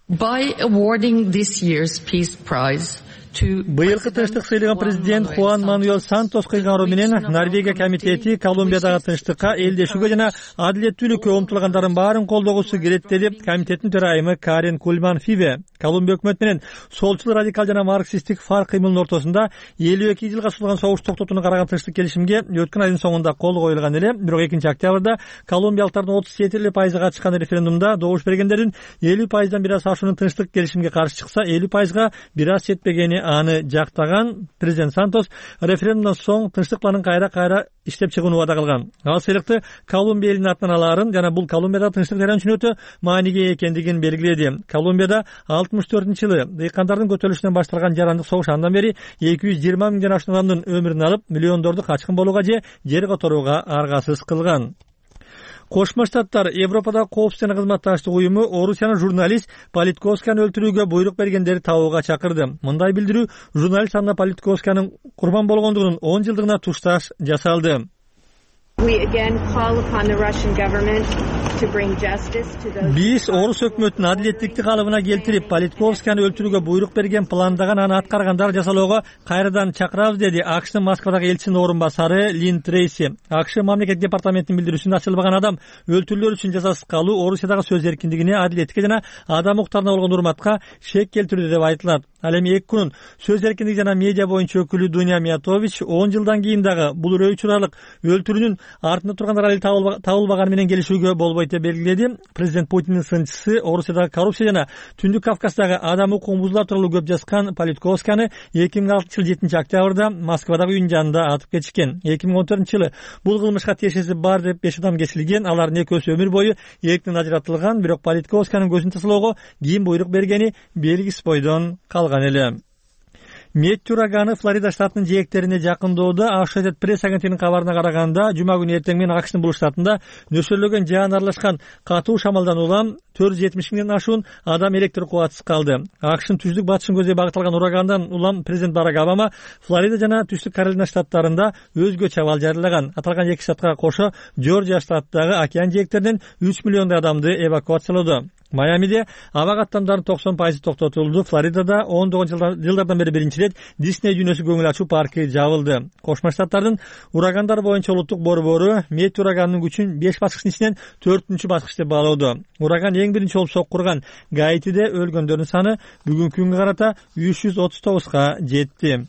Speaker 8: By awarding this year's Peace Prize
Speaker 5: Быйылкы тынчтык сыйлыгын президент Хуан Мануэль Сантос кыйгаруу менен Норвегия комитети Колумбиядагы тынчтыкка, элдешүүгө жана адилеттүүлүккө умтулгандардын баарын колдогусу келет, деди комитеттин төрайымы Карен Кульман Фиве. Колумбия өкмөтү менен солчул радикал жана марксисттик фарк кыймылдын ортосунда 52 жылга созулган согуш токтотууну караган тынчтык келишимге өткөн айдын соңунда кол коюлган эле. Бирок 2 октябрда колумбиялыктардын 37% катышкан референдумда добуш бергендердин 50%дан бир аз ашуунун тынчтык келишимге каршы чыкса, 50%га бир аз жетпегени аны жактаган президент Сантос референдумдан соң тынчтык планын кайра иштеп чыгууну вада кылган. Ал сыйлыкты Колумбия элинин атынан алаарын жана бул Колумбияда тынчтык жаран үчүн өтө мааниге экендигин белгиледи. Колумбияда 64-жылы дыйкандардын көтөрүлүшүнөн башталган жарандык согуш андан бери 220 миңден ашуун адамдын өмүрүн алып, миллиондорду качкын болууга же жер которууга аргасыз кылган. Кошмо Штаттар Европада коопсуздук кызматташтык уюму Орусиянын журналист Политковсканы өлтүрүүгө буйрук бергендерди табууга чакырды. Мындай билдирүү журналист Анна Политковсканын курбан болгондугунун 10 жылдыгына тушташ жасалды. Биз Орус өкмөтүнүн адилеттикти калыбына келтирип, Политковсканы өлтүрүүгө буйрук берген, пландаган, аны аткаргандар жасалоого кайрадан чакырабыз, деди АКШтын Москвадагы элчисинин орун басары Лин Трейси. АКШ мамлекет департаментинин билдирүүсүндө ачылбаган адам өлтүрүүлөр үчүн жазасыз калуу Орусиядагы сөз эркиндигине, адилеттикке жана адам укуктарына болгон урматка шек келтирүүдө деп айтылат. Ал эми 2 күнүн сөз эркиндиги жана медиа боюнча өкүлү Дуня Миятович 10 жылдан кийин дагы бул үрөй учуралык өлтүрүүнүн артында тургандар али табылбаганы менен келишүүгө болбойт деп белгиледи. Президент Путиндин сынчысы Орусиядагы коррупция жана Түндүк Кавказдагы адам укугун бузуулар тууралуу көп жазган Политковсканы 2006 жыл 7 октябрда Москвадагы үйүнүн жанында атып кетишкен. 2014-жылы бул кылмышка тиешеси бар деп 5 адам кесилген. Алардын экөөсү өмүр бою эрктен ажыратылган, бирок Политковсканын көзүн тасалоого ким буйрук бергени белгисиз бойдон калган эле. Метью ураганы Флорида штатынын жээктерине жакындоодо. Associated Press агенттигинин кабарына караганда, жума күнү эртең менен AQShnын бул штатында нөсөрлөгөн жаан аралашкан катуу шамалдан улам 470 миңден ашуун адам электр кубатсыз калды. AQShnын түздүк батышын көздөй багытталган урагандан улам президент Барак Обама Флорида жана Түштүк Каролина штаттарында өзгөчө абал жарыялаган. Аталган эки штатка кошо Жоржия штатындагы океан жээктеринен 3 миллиондой адамды эвакуациялоодо. Майамиде аба каттамдардын 90% токтотулду. Флоридада 19 жылдардан бери биринчи ирет Дисней дүйнөсү көңүл ачуу парки жабылды. Кошмо Штаттардын урагандар боюнча улуттук борбору Метью ураганынын күчүн 5 баскычтын ичинен 4-үнчү баскыч деп баалоодо. Ураган эң биринчи болуп соккурган Гаитиде өлгөндөрдүн саны бүгүнкү күнгө карата 339га жетти.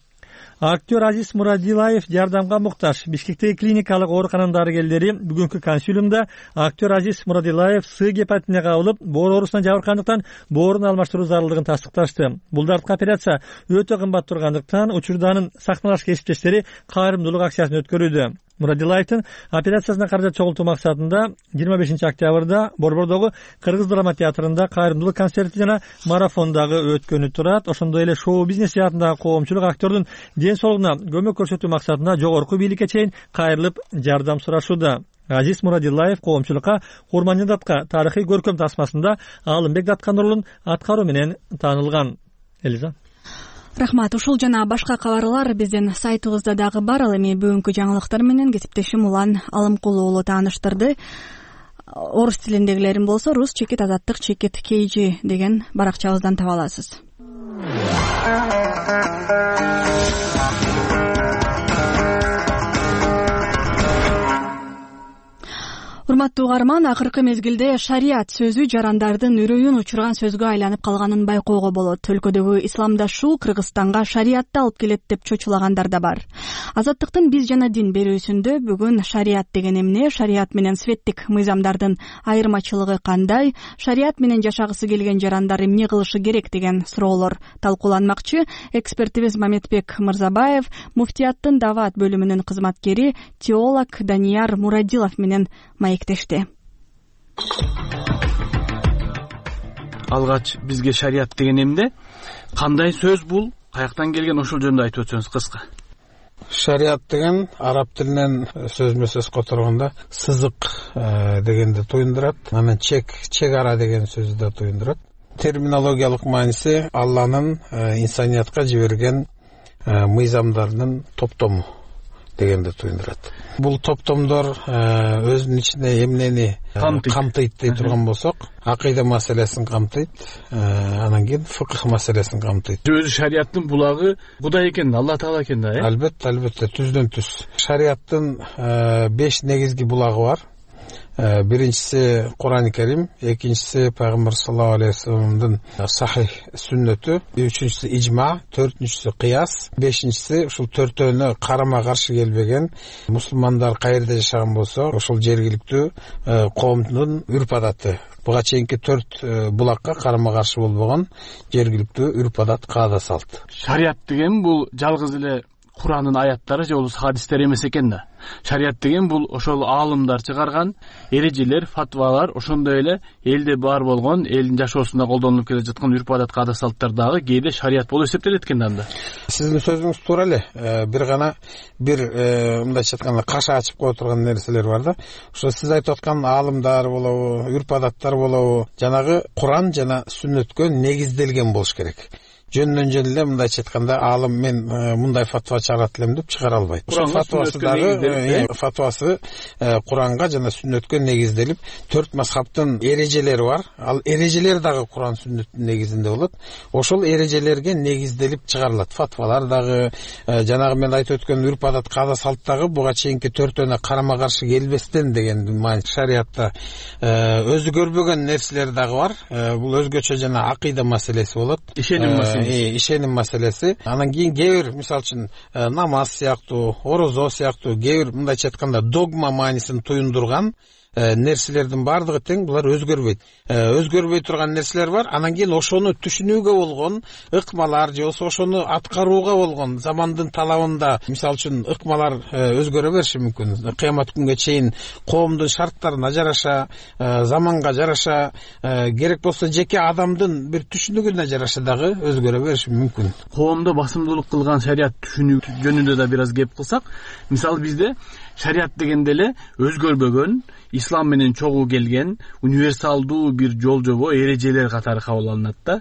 Speaker 5: Актер Азиз Мурадилаев жардамга муктаж. Бишкектеги клиникалык оорукананын дарыгерлери бүгүнкү консилиумда актер Азиз Мурадилаев С гепатитине кабылып, боор оорусуна жабыркандыктан боорун алмаштыруу зарылдыгын тастыкташты. Бул дарттык операция өтө кымбат тургандыктан учурда анын сахналаш кесиптештери кайрымдуулук акциясын өткөрүүдө. Мурадилаевдин операциясына каражат чогултуу максатында 25 октябрда Борбордогу Кыргыз драма театрында кайрымдуулук концерти жана марафон дагы өткөнү турат. Ошондой эле шоу-бизнес жаатындагы коомчулук актердун ден соолугуна көмөк көрсөтүү максатында жогорку бийликке чейин кайрылып жардам сурашууда. Азиз Мурадилаев коомчулукка Курманжан датка тарыхый көркөм тасмасында Алымбек Даткануулунун аткаруу менен таанылган. Элиза.
Speaker 2: Рахмат. Ушул жана башка кабарлар биздин сайтыбызда дагы бар. Ал эми бүгүнкү жаңылыктар менен кесиптешим Улан Алымкулуу уулу тааныштырды. Орус тилиндегилерин болсо Рус чекит азаттык чекит KG деген баракчабыздан таба аласыз. Урматтуу угарман, акыркы мезгилде шарият сөзү жарандардын үрөйүн учурган сөзгө айланып калганын байкоого болот. Өлкөдөгү исламдашуу Кыргызстанга шариятты алып келет деп чочулагандар да бар. Азаттыктын биз жана дин берүүсүндө бүгүн шарият деген эмне, шарият менен светтик мыйзамдардын айырмачылыгы кандай, шарият менен жашагысы келген жарандар эмне кылышы керек деген суроолор талкууланмакчы. Экспертибиз Маметбек Мырзабаев муфтияттын даваат бөлүмүнүн кызматкери теолог Данияр Мурадилов менен маектешти.
Speaker 4: Алгач бизге шарият деген эмне? Кандай сөз бул? Каяктан келген, ошол жөнүндө айтып өтсөңүз кыска.
Speaker 1: Шарият деген араб тилинен сөзмө сөз которгондо сызык дегенди туюндурат. Анан чек ара деген сөздү да туюндурат. Терминологиялык мааниси Алланын инсаниятка жиберген мыйзамдарынын топтому дегенди туюндурат. Бул топтомдор өзүнүн ичине эмнени камтыйт дей турган болсок, акыйда маселесин камтыйт, анан кийин фыкх маселесин камтыйт.
Speaker 4: Өзү шариаттын булагы Кудай экен, Алла Таала экен да,
Speaker 1: Албетте, түздөн түз. Шариаттын 5 негизги булагы бар. Биринчиси Кур'ан-ы Карим, экинчиси Пайгамбар саллаллаху алейхи вассаламдын сахих сүннөтү, үчүнчүсү ижма, төртүнчүсү кыяс, бешинчиси ушул төртөөнө карама каршы келбеген мусулмандар каерде жашаган болсо, ошол жергиликтүү коомдун үрп адаты. Буга чейинки 4 булакка карама каршы болбогон жергиликтүү үрп адат, каада салт.
Speaker 4: Шарият деген бул жалгыз эле Кур'андын аяттары же болбосо хадистер эмес экен да. Шарият деген бул ошол аалымдар чыгарган эрежелер, фатвалар, ошондой эле элде бар болгон, элдин жашоосунда колдонулуп келе жаткан үрп адат, каада салттар дагы кээде шарият болуп эсептелет экен да.
Speaker 1: Сиздин сөзүңүз туура эле. Бир мындайча айтканда каша ачып кое турган нерселер бар да. Ошо сиз айтып аткан аалымдар болобу, үрп адаттар болобу, жанагы Кур'ан жана сүннөткө негизделген болуш керек. Жөндөн эле мындайча айтканда аалым мен мындай фатва чыгарат элем деп чыгара албайт. Ошол фатвасы дагы фатвасы Куранга жана сүннөткө негизделип, 4 мазхабтын эрежелери бар. Ал эрежелер дагы Куран сүннөттүн негизинде болот. Ошол эрежелерге негизделип чыгарылат. Фатвалар дагы жанагы мен айтып өткөн үрп адат, каада салт дагы буга чейинки төртөөнө карама каршы келбестен деген маани. Шариатта өзү көрбөгөн нерселер дагы бар. Бул өзгөчө жана акыйда маселеси болот. Ишеним маселеси. Анан кийин кээ бир, мисалы үчүн, намаз сыяктуу, орозо сыяктуу кээ бир мындайча айтканда догма маанисин туюндурган нерселердин баардыгы тең, булар өзгөрбөй турган нерселер бар. Анан кийин ошону түшүнүүгө болгон ыкмалар же ошону аткарууга болгон замандын талабында, мисалы үчүн, ыкмалар өзгөрө бериши мүмкүн. Кыямат күнгө чейин коомдун шарттарына жараша, заманга жараша, керек болсо жеке адамдын бир түшүнүгүнө жараша дагы өзгөрө бериши мүмкүн.
Speaker 4: Коомдо басымдуулук кылган шарият түшүнүү жөнүндө да бир аз кеп кылсак, мисалы бизде шарият дегенде эле өзгөрбөгөн, ислам менен чогуу келген универсалдуу бир жол жобо, эрежелер катары кабыл алынат да.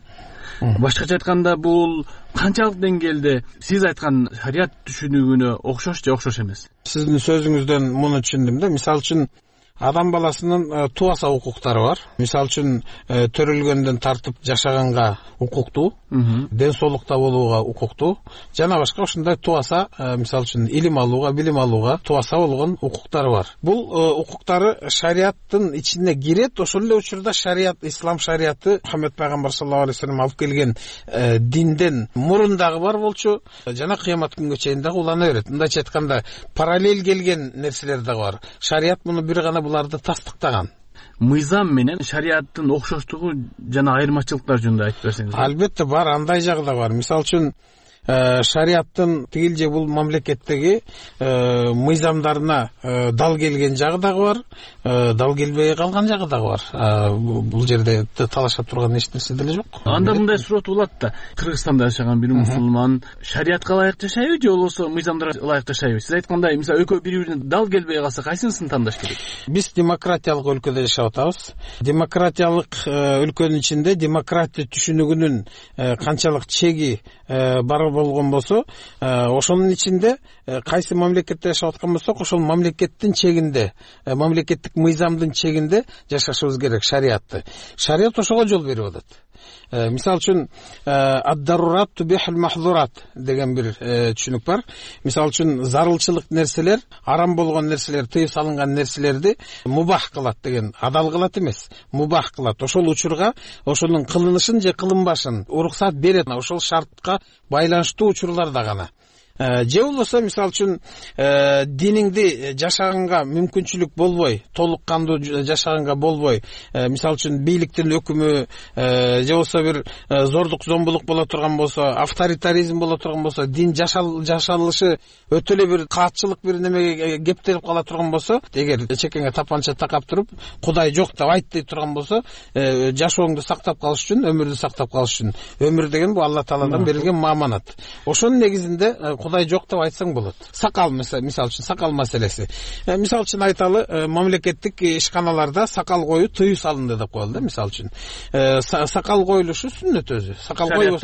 Speaker 4: Башкача айтканда, бул канчалык деңгээлде сиз айткан шарият түшүнүгүнө окшош же окшош эмес?
Speaker 1: Сиздин сөзүңүздөн муну түшүндүм да. Мисалы үчүн, адам баласынын туаса укуктары бар. Мисалы үчүн, төрөлгөндөн тартып жашаганга укуктуу, ден соолукта болууга укуктуу, жана башка ушундай туаса, мисалы үчүн, илим алууга, билим алууга туаса болгон укуктары бар. Бул укуктары шариаттын ичине кирет. Ошол эле учурда шарият, ислам шарияты Мухаммед пайгамбар саллаллаху алейхи вассалам алып келген динден мурун дагы бар болчу, жана кыямат күнгө чейин дагы улана берет. Мындайча айтканда, параллель келген нерселер дагы бар. Шарият муну бир гана буларды тастыктаган.
Speaker 4: Мыйзам менен шариаттын окшоштугу жана айырмачылыктар жөнүндө айтып берсеңиз.
Speaker 1: Албетте бар, андай жагы да бар. Мисалы үчүн, шариаттын тигил же бул мамлекеттеги мыйзамдарына дал келген жагы дагы бар, дал келбей калган жагы дагы бар. Бул жерде талашат турган эч нерсе деле жок.
Speaker 4: Анда мындай суроо туулат да. Кыргызстанда жашаган бир мусулман шариятка ылайык жашайбы же болбосо мыйзамдарга ылайык жашайбы? Сиз айткандай, мисалы, экөө бири-бирине дал келбей калса, кайсынысын тандаш керек? Биз
Speaker 1: демократиялык өлкөдө жашап атабыз. Демократиялык өлкөнүн ичинде демократия түшүнүгүнүн канчалык чеги бар болгон болсо, ошонун ичинде кайсы мамлекетте жашап аткан болсок, ошол мамлекеттин чегинде, мамлекеттик мыйзамдын чегинде жашашыбыз керек шариятты. Шарият ошого жол берип атат. Мисалы үчүн, ад-дарурат тубихул махзурат деген бир түшүнүк бар. Мисалы үчүн, зарылчылык нерселер, арам болгон нерселер, тыйып салынган нерселерди мубах кылат деген, адал кылат эмес, мубах кылат. Ошол учурга ошонун кылынышын же кылынбашын уруксат берет. Ошол шартка байланыштуу учурларда гана. Же болбосо, мисалы үчүн, диниңди жашаганга мүмкүнчүлүк болбой, толук кандуу жашаганга болбой, мисалы үчүн, бийликтин өкүмү же болбосо бир зордук зомбулук боло турган болсо, авторитаризм боло турган болсо, дин жашалышы өтө эле бир каатчылык бир немеге кептелип кала турган болсо, эгер чекеңе тапанча такап туруп, Кудай жок деп айт дей турган болсо, жашооңду сактап калыш үчүн, өмүрдү сактап калыш үчүн. Өмүр деген бул Алла Тааладан берилген мааманат. Ошонун негизинде Кудай жок деп айтсаң болот. Сакал, мисалы үчүн, сакал маселеси. Мисалы үчүн айталы, мамлекеттик ишканаларда сакал коюу тыюу салынды деп коелу да, мисалы үчүн. Сакал коюлушу сүннөт өзү. Сакал коюу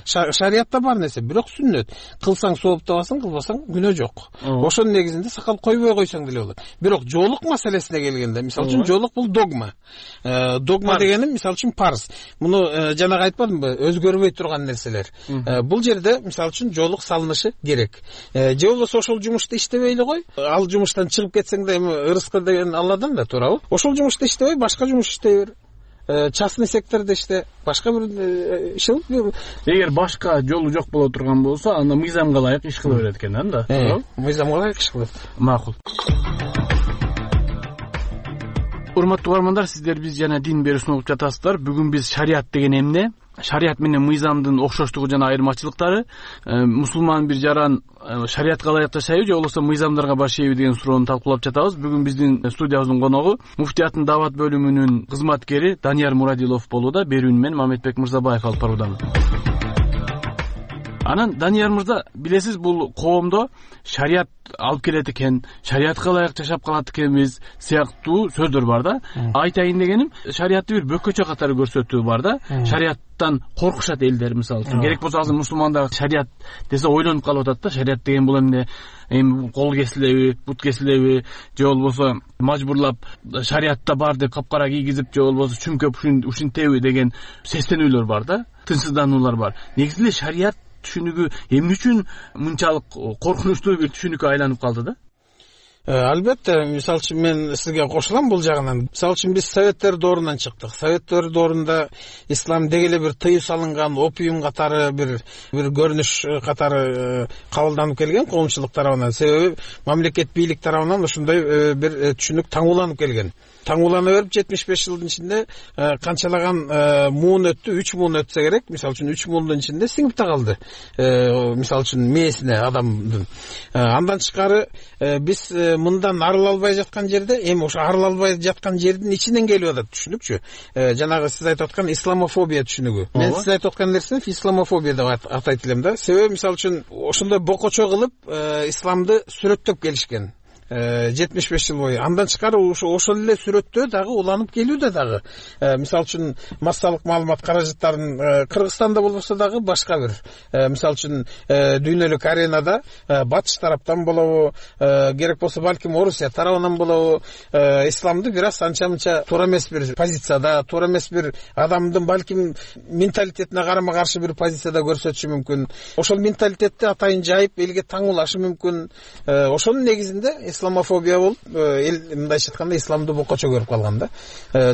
Speaker 1: шариятта бар нерсе, бирок сүннөт. Кылсаң сооп табасың, кылбасаң күнөө жок. Ошонун негизинде сакал койбой койсоң деле болот. Бирок жоолук маселесине келгенде, мисалы үчүн, жоолук бул догма. Догма дегени, мисалы үчүн, парз. Муну жанагы айтпадымбы, өзгөрбөй турган нерселер. Бул жерде, мисалы үчүн, жоолук салынышы керек. Же болбосо ошол жумушта иштебей эле кой. Ал жумуштан чыгып кетсең да, эми ырыскы деген Алладан да, туурабы? Ошол жумушта иштебей, башка жумуш иштей бер. Частный сектордо иште, башка бир иш кылып.
Speaker 4: Эгер башка жолу жок боло турган болсо, анда мыйзамга ылайык иш кыла берет экен да, туурабы?
Speaker 1: Мыйзамга ылайык иш кылат.
Speaker 4: Макул. Урматтуу угармандар, сиздер биз жана дин берүүсүн угуп жатасыздар. Бүгүн биз шарият деген эмне, шарият менен мыйзамдын окшоштугу жана айырмачылыктары, мусулман бир жаран шариятка ылайык жашайбы же болбосо мыйзамдарга баш ийеби деген суроону талкуулап жатабыз. Бүгүн биздин студиябыздын коногу муфтияттын даават бөлүмүнүн кызматкери Данияр Мурадилов болууда. Берүүнү мен Мамедбек Мырзабаев алып баруудамын. Анан Данияр мырза, билесиз, бул коомдо шарият алып келет экен, шариятка ылайык жашап калат экенбиз сыяктуу сөздөр бар да. Айтайын дегеним, шариятты бир бөкөчө катары көрсөтүү бар да. Шарияттан коркушат элдер, мисалы үчүн. Керек болсо азыр мусулмандар шарият десе ойлонуп калып атат да. Шарият деген бул эмне? Кол кесилеби, бут кесилеби, же болбосо мажбурлап шариятта бар деп капкара кийгизип, же болбосо чүмкөп ушинтеби деген сестенүүлөр бар да. Тынчсыздануулар бар. Негизи эле шарият түшүнүгү эмне үчүн мынчалык коркунучтуу бир түшүнүккө айланып калды да?
Speaker 1: Албетте, мисалы үчүн мен сизге кошулам бул жагынан. Мисалы үчүн биз советтер доорунан чыктык. Советтер доорунда ислам деги эле бир тыюу салынган опиум катары бир көрүнүш катары кабылданып келген коомчулук тарабынан. Себеби мамлекет бийлик тарабынан ушундай бир түшүнүк таңууланып келген. Таңуулана берип 75 жылдын ичинде канчалаган муун өттү, 3 муун өтсө керек. Мисалы үчүн 3 муундун ичинде сиңип да калды. Мисалы үчүн мээсине адамдын. Андан тышкары биз мындан арыла албай жаткан жерде, эми ошо арыла албай жаткан жердин ичинен келип атат түшүнүкчү. Жанагы сиз айтып аткан исламофобия түшүнүгү. Мен сиз айтып аткан нерсени исламофобия деп атайт элем да. Себеби мисалы үчүн ошондой бокочо кылып исламды сүрөттөп келишкен. 75 жыл бою. Андан тышкары ошол эле сүрөттөө дагы уланып келүүдө дагы. Мисалы үчүн массалык маалымат каражаттарын Кыргызстанда болбосо дагы башка бир. Мисалы үчүн дүйнөлүк аренада батыш тараптан болобу, керек болсо балким Орусия тарабынан болобу, исламды бир аз анча-мынча туура эмес бир позицияда, туура эмес бир адамдын балким менталитетине карама каршы бир позицияда көрсөтүшү мүмкүн. Ошол менталитетти атайын жайып элге таңуулашы мүмкүн. Ошонун негизинде исламофобия болуп, эл мындайча айтканда исламды бокочо көрүп калган да.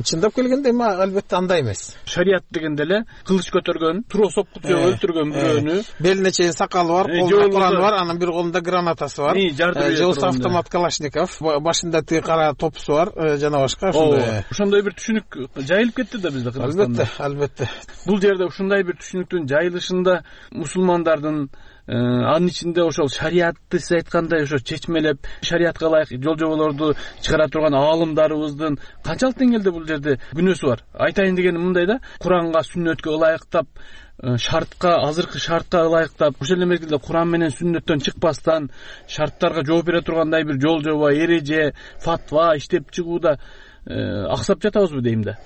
Speaker 1: Чындап келгенде эми албетте андай эмес.
Speaker 4: Шарият дегенде эле кылыч көтөргөн, туроо сопкут жөө өлтүргөн бирөөнү,
Speaker 1: белине чейин сакалы бар, колунда Кураны бар, анан бир колунда гранатасы бар, же автомат Калашников, башында тиги кара топусу бар, жана башка ошондой.
Speaker 4: Ошондой бир түшүнүк жайылып кетти да бизде Кыргызстанда.
Speaker 1: Албетте.
Speaker 4: Бул жерде ушундай бир түшүнүктүн жайылышында мусулмандардын анын ичинде ошол шариатты сиз айткандай ошо чечмелеп, шариатка ылайык жол жоболорду чыгара турган аалымдарыбыздын канчалык деңгээлде бул жерде күнөөсү бар? Айтайын дегеним мындай да, Куранга, сүннөткө ылайыктап, шартка, азыркы шартка ылайыктап, ошол эле мезгилде Куран менен сүннөттөн чыкпастан шарттарга жооп бере тургандай бир жол жоба, эреже, фатва иштеп чыгууда аксап жатабызбы дейм да.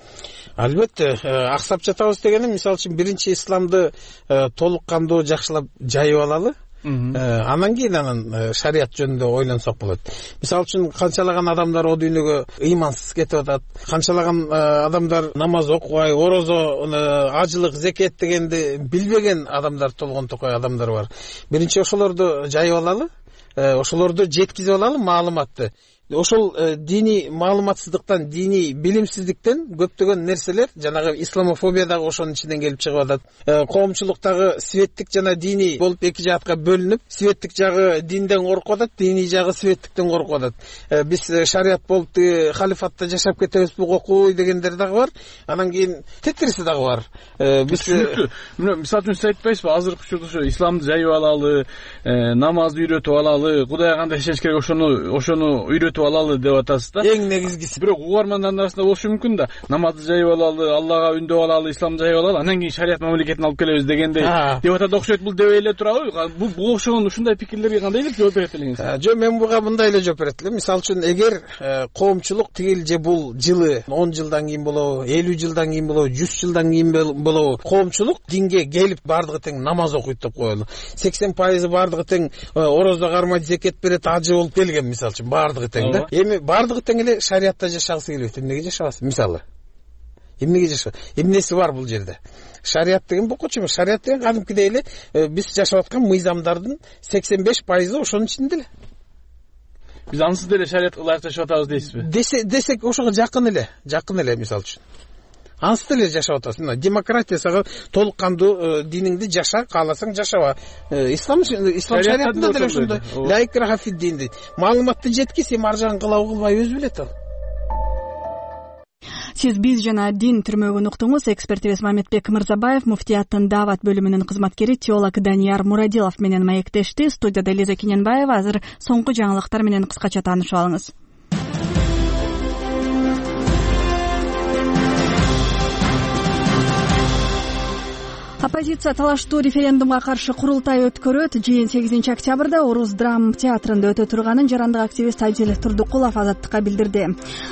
Speaker 1: Албетте, аксап жатабыз дегеним, мисалы үчүн биринчи исламды толук кандуу жакшылап жайып алалы. Анан кийин шарият жөнүндө ойлонсок болот. Мисалы үчүн канчалаган адамдар о дүйнөгө ыймансыз кетип атат. Канчалаган адамдар намаз окубай, орозо, ажылык, зекет дегенди билбеген адамдар, толгон токой адамдар бар. Биринчи ошолорду жайып алалы, ошолорду жеткизип алалы маалыматты. Ошол диний маалыматсыздыктан, диний билимсиздиктен көптөгөн нерселер, жанагы исламофобия дагы ошонун ичинен келип чыгып атат. Коомчулуктагы светтик жана диний болуп эки жаатка бөлүнүп, светтик жагы динден коркуп атат, диний жагы светтиктен коркуп атат. Биз шарият болуп халифатта жашап кетебизби окуй дегендер дагы бар. Анан кийин тетириси дагы бар. Биз
Speaker 4: мисалы үчүн сиз айтпайсызбы, азыркы учурда ошо исламды жайып алалы, намазды үйрөтүп алалы, Кудайга кандай ишениш керек ошону үйрөтүп алалы деп атасыз да.
Speaker 1: Эң негизгиси.
Speaker 4: Бирок угармандардын арасында болушу мүмкүн да. Намазды жайып алалы, Аллага үндөп алалы, исламды жайып алалы, анан кийин шарият мамлекетин алып келебиз дегендей деп атат окшойт. Бул дебей эле турабы? Бул окшогон ушундай пикирлерге кандай деп жооп берет элеңиз?
Speaker 1: Жок, мен буга мындай эле жооп берет элем. Мисалы үчүн, эгер коомчулук тигил же бул жылы 10 жылдан кийин болобу, 50 жылдан кийин болобу, 100 жылдан кийин болобу, коомчулук динге келип бардыгы тең намаз окуйт деп коелу. 80% бардыгы тең орозо кармайт, зекет берет, ажы болуп келген, мисалы үчүн бардыгы тең. Эми бардыгы тең эле шариатта жашагысы келбейт. Эмнеге жашабасыз? Мисалы. Эмнеге жашабасыз? Эмнеси бар бул жерде? Шариат деген бокочу эмес. Шариат деген кадимкидей эле биз жашап аткан мыйзамдардын 85% ошонун ичинде эле.
Speaker 4: Биз ансыз деле шариатка ылайык жашап атабыз дейсизби?
Speaker 1: Десек ошого жакын эле мисалы үчүн. Ансыз деле жашап атасың. Демократия сага толук кандуу диниңди жаша, кааласаң жашаба. Ислам шариатында деле ошондой. Ла икраха фид дин дейт. Маалыматты жеткиз, эми ар жагын кылабы кылбайбы өзү билет ал.
Speaker 2: Сиз биз жана дин түрмөгүн уктуңуз. Экспертибиз Мамедбек Мырзабаев, муфтияттын даават бөлүмүнүн кызматкери теолог Данияр Мурадилов менен маектешти. Студияда Лиза Кененбаева. Азыр соңку жаңылыктар менен кыскача таанышып алыңыз. Оппозиция талаштуу референдумга каршы курултай өткөрөт. Жыйын 8 октябрда Орус драм театрында өтө турганын жарандык активист Адил Турдукулов Азаттыкка билдирди.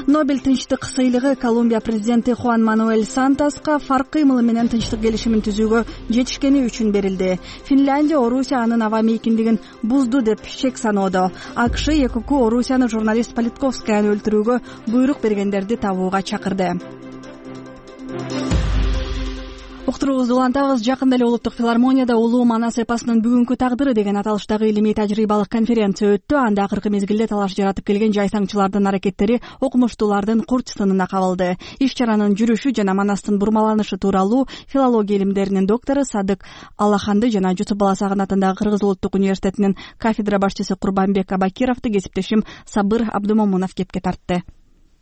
Speaker 2: Нобель тынчтык сыйлыгы Колумбия президенти Хуан Мануэль Сантоска фарк кыймылы менен тынчтык келишимин түзүүгө жетишкени үчүн берилди. Финляндия Орусия анын аба мейкиндигин бузду деп шек саноодо. АКШ ЭКК Орусияны журналист Политковскаяны өлтүрүүгө буйрук бергендерди табууга чакырды. уктуруубузду улантабыз. Жакында эле улуттук филармонияда улуу манас эпосунун бүгүнкү тагдыры деген аталыштагы илимий тажрыйбалык конференция өттү. Анда акыркы мезгилде талаш жаратып келген жайсаңчылардын аракеттери окумуштуулардын курч сынына кабылды. Иш чаранын жүрүшү жана манастын бурмаланышы тууралуу филология илимдеринин доктору Садык Аллаханды жана Жусуп Баласагын атындагы Кыргыз улуттук университетинин кафедра башчысы Курбанбек Абакировду кесиптешим Сабыр Абдумомунов кепке тартты.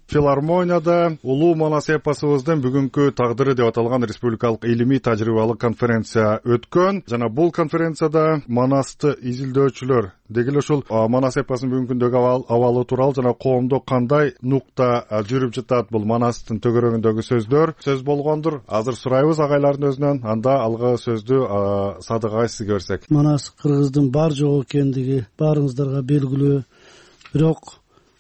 Speaker 17: Филармонияда улуу манас эпосубуздун бүгүнкү тагдыры деп аталган республикалык илимий тажрыйбалык конференция өткөн жана бул конференцияда манасты изилдөөчүлөр деги эле ушул манас эпосунун бүгүнкү күндөгү абалы тууралуу жана коомдо кандай нукта жүрүп жатат, бул манастын төгөрөгүндөгү сөздөр сөз болгондур. Азыр сурайбыз агайлардын өзүнөн, анда алгы сөздү Садык агай сизге берсек.
Speaker 9: Манас кыргыздын бар жок экендиги баарыңыздарга белгилүү. Бирок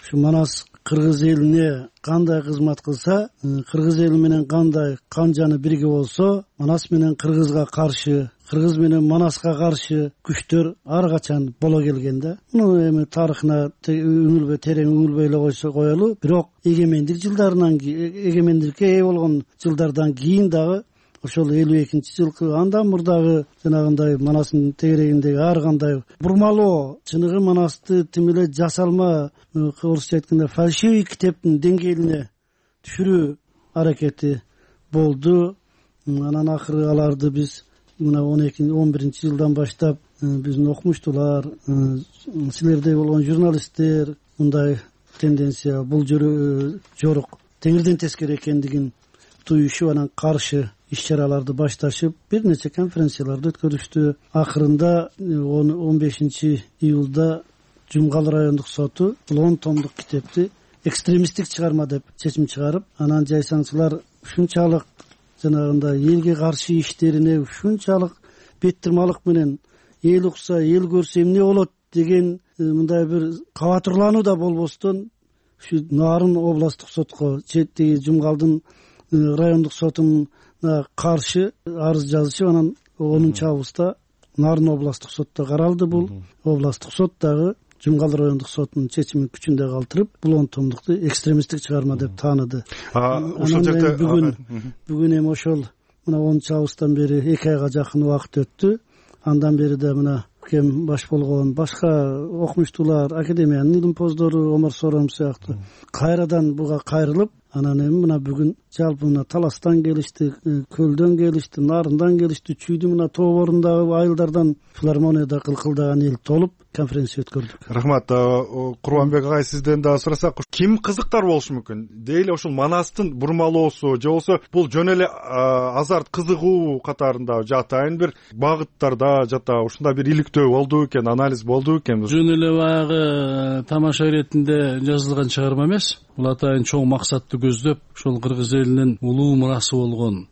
Speaker 9: ушу манас кыргыз элине кандай кызмат кылса, кыргыз эли менен кандай кан жаны бирге болсо, манас менен кыргызга каршы, кыргыз менен манаска каршы күчтөр ар качан боло келген да. Муну эми тарыхына терең үңүлбөй эле койсо коелу. Бирок эгемендик жылдарынан эгемендикке ээ болгон жылдардан кийин дагы ошол 52-жылкы андан мурдагы жанагындай манастын тегерегиндеги ар кандай бурмалоо, чыныгы манасты тим эле жасалма, орусча айтканда фальшивый китептин деңгээлине түшүрүү аракети болду. Анан акыры аларды биз мына 11-жылдан баштап биздин окумуштуулар, силердей болгон журналисттер мындай тенденция бул жорук теңирден тескери экендигин туюшуп, анан каршы иш чараларды башташып, бир нече конференцияларды өткөрүштү. Акырында 15-июлда Жумгал райондук соту бул 10 томдук китепти экстремисттик чыгарма деп чечим чыгарып, анан жайсаңчылар ушунчалык жанагындай элге каршы иштерине ушунчалык беттирмалык менен эл укса, эл көрсө эмне болот деген мындай бир кабатырлануу да болбостон ушу Нарын областтык сотко, четти Жумгалдын райондук сотунун каршы арыз жазышып, анан 10-августта Нарын областтык сотто каралды. Бул областтык сот дагы Жумгал райондук сотунун чечимин күчүндө калтырып, бул 10 томдукту экстремисттик чыгарма деп тааныды. Ошол жерде бүгүн эми ошол мына 10-августтан бери 2 айга жакын убакыт өттү. Андан бери да мына кем баш болгон башка окумуштуулар, академиянын илимпоздору Омар Сором сыяктуу кайрадан буга кайрылып, анан эми мына бүгүн жалпы мына Таластан келишти, Көлдөн келишти, Нарындан келишти, Чүйдү мына тооборундагы айылдардан филармонияда кылкылдаган эл толуп конференция өткөрдүк.
Speaker 17: Рахмат. Курбанбек агай, сизден дагы сурасак, ким кызыктар болушу мүмкүн? Дейли ошол манастын бурмалоосу же болбосо бул жөн эле азарт, кызыгуу катарында жатайын бир багыттарда жата, ушундай бир иликтөө болду экен, анализ болду экен?
Speaker 4: Жөн эле баягы тамаша иретинде жазылган чыгарма эмес. Бул атайын чоң максатты көздөп, ошол кыргыз элинин улуу мурасы болгон.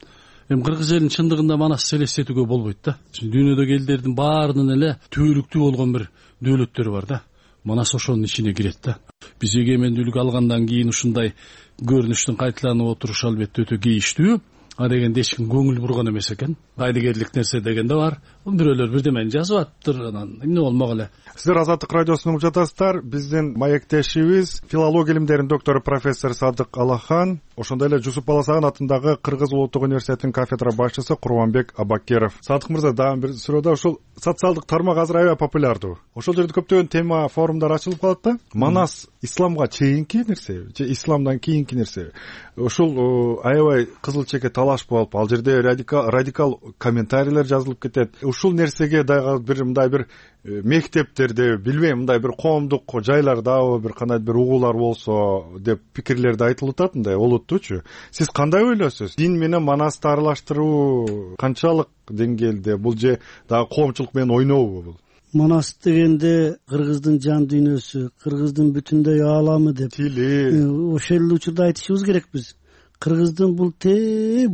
Speaker 4: Эми кыргыз элин чындыгында манас элестетүүгө болбойт да. Дүйнөдөгү элдердин баарынын эле түбөлүктүү болгон бир дөөлөттөрү бар да. Манас ошонун ичине кирет да. Биз эгемендүүлүк алгандан кийин ушундай көрүнүштүн кайталанып отурушу албетте өтө кейиштүү. А дегенде эч ким көңүл бурган эмес экен. Кайдыгерлик нерсе деген да бар. Бирөөлөр бирдемени жазып атыптыр, анан эмне болмок эле.
Speaker 17: Сиздер Азаттык радиосун угуп жатасыздар. Биздин маектешибиз филология илимдеринин доктору профессор Садык Аллахан, ошондой эле Жусуп Баласагын атындагы Кыргыз улуттук университетинин кафедра башчысы Курбанбек Абакиров. Садык мырза, дагы бир суроо. Ушул социалдык тармак азыр аябай популярдуу. Ошол жерде көптөгөн тема, форумдар ачылып калат да. Манас исламга чейинки нерсеби же исламдан кийинки нерсеби? Ушул аябай кызыл чеке талаш болуп, ал жерде радикал комментарийлер жазылып кетет. Ушул нерсеге дагы бир мындай бир мектептерде, билбейм, мындай бир коомдук жайлардабы бир кандай бир угуулар болсо деп пикирлерди айтылып атат, мындай олуттуучу. Сиз кандай ойлойсуз? Дин менен манасты аралаштыруу канчалык деңгээлде? Бул же дагы коомчулук менен ойнообу бул?
Speaker 9: Манас дегенде кыргыздын жан дүйнөсү, кыргыздын бүтүндөй ааламы деп
Speaker 17: тили.
Speaker 9: Ошол учурда айтышыбыз керек биз. Кыргыздын бул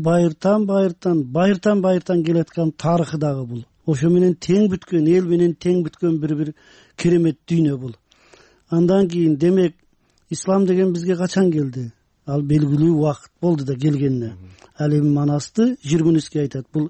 Speaker 9: байыртан келаткан тарыхы дагы бул. Ошо менен тең бүткөн, эл менен тең бүткөн бир керемет дүйнө бул. Андан кийин демек ислам деген бизге качан келди? Ал белгилүү убакыт болду да келгенине. Ал эми манасты Жүргүнүске айтат. Бул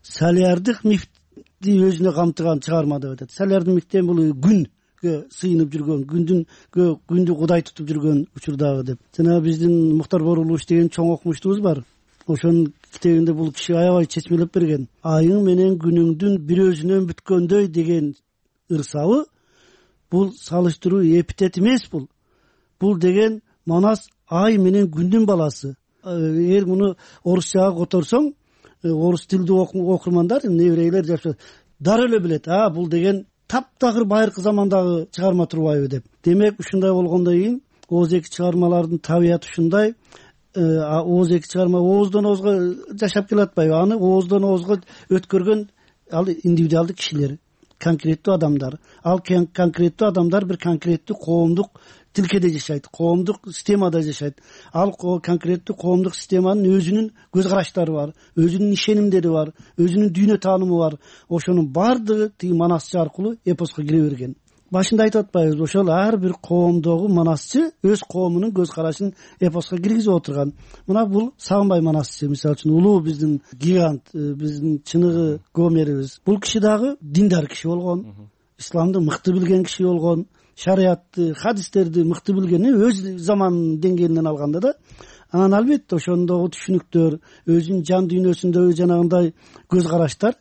Speaker 9: салиардык мифти өзүнө камтыган чыгарма деп айтат. Салиардык мифтен бул күнгө сыйынып жүргөн, күндү кудай тутуп жүргөн учурдагы деп. Жана биздин Муктар Борулович деген чоң окумуштубуз бар. ошонун китебинде бул киши аябай чечмелеп берген. Айың менен күнүңдүн бир өзүнөн бүткөндөй деген ырсабы бул салыштыруу эпитет эмес. Бул деген Манас ай менен күндүн баласы. Эгер муну орусчага которсоң, орус тилдүү окурмандар, еврейлер жашап дароо эле билет. Бул деген таптакыр байыркы замандагы чыгарма турбайбы деп. Демек ушундай болгондон кийин Ооз эки чыгармалардын табияты ушундай. Ооз эки чыгарма ооздон оозго жашап келатпайбы? Аны ооздон оозго өткөргөн ал индивидуалдуу кишилер, конкреттүү адамдар. Ал конкреттүү адамдар бир конкреттүү коомдук тилкеде жашайт, коомдук системада жашайт. Ал конкреттүү коомдук системанын өзүнүн көз караштары бар, өзүнүн ишенимдери бар, өзүнүн дүйнө таанымы бар. Ошонун баардыгы тиги манасчы аркылуу эпоско кире берген. Башында айтып атпайбызбы, ошол ар бир коомдогу манасчы өз коомунун көз карашын эпоско киргизип отурган. Мына бул Сагынбай манасчы, мисалы үчүн улуу биздин гигант, биздин чыныгы Гомерибиз. Бул киши дагы диндар киши болгон, исламды мыкты билген киши болгон, шариятты, хадистерди мыкты билген, өз заманынын деңгээлинен алганда да. Анан албетте ошондогу түшүнүктөр, өзүнүн жан дүйнөсүндөгү жанагындай көз караштар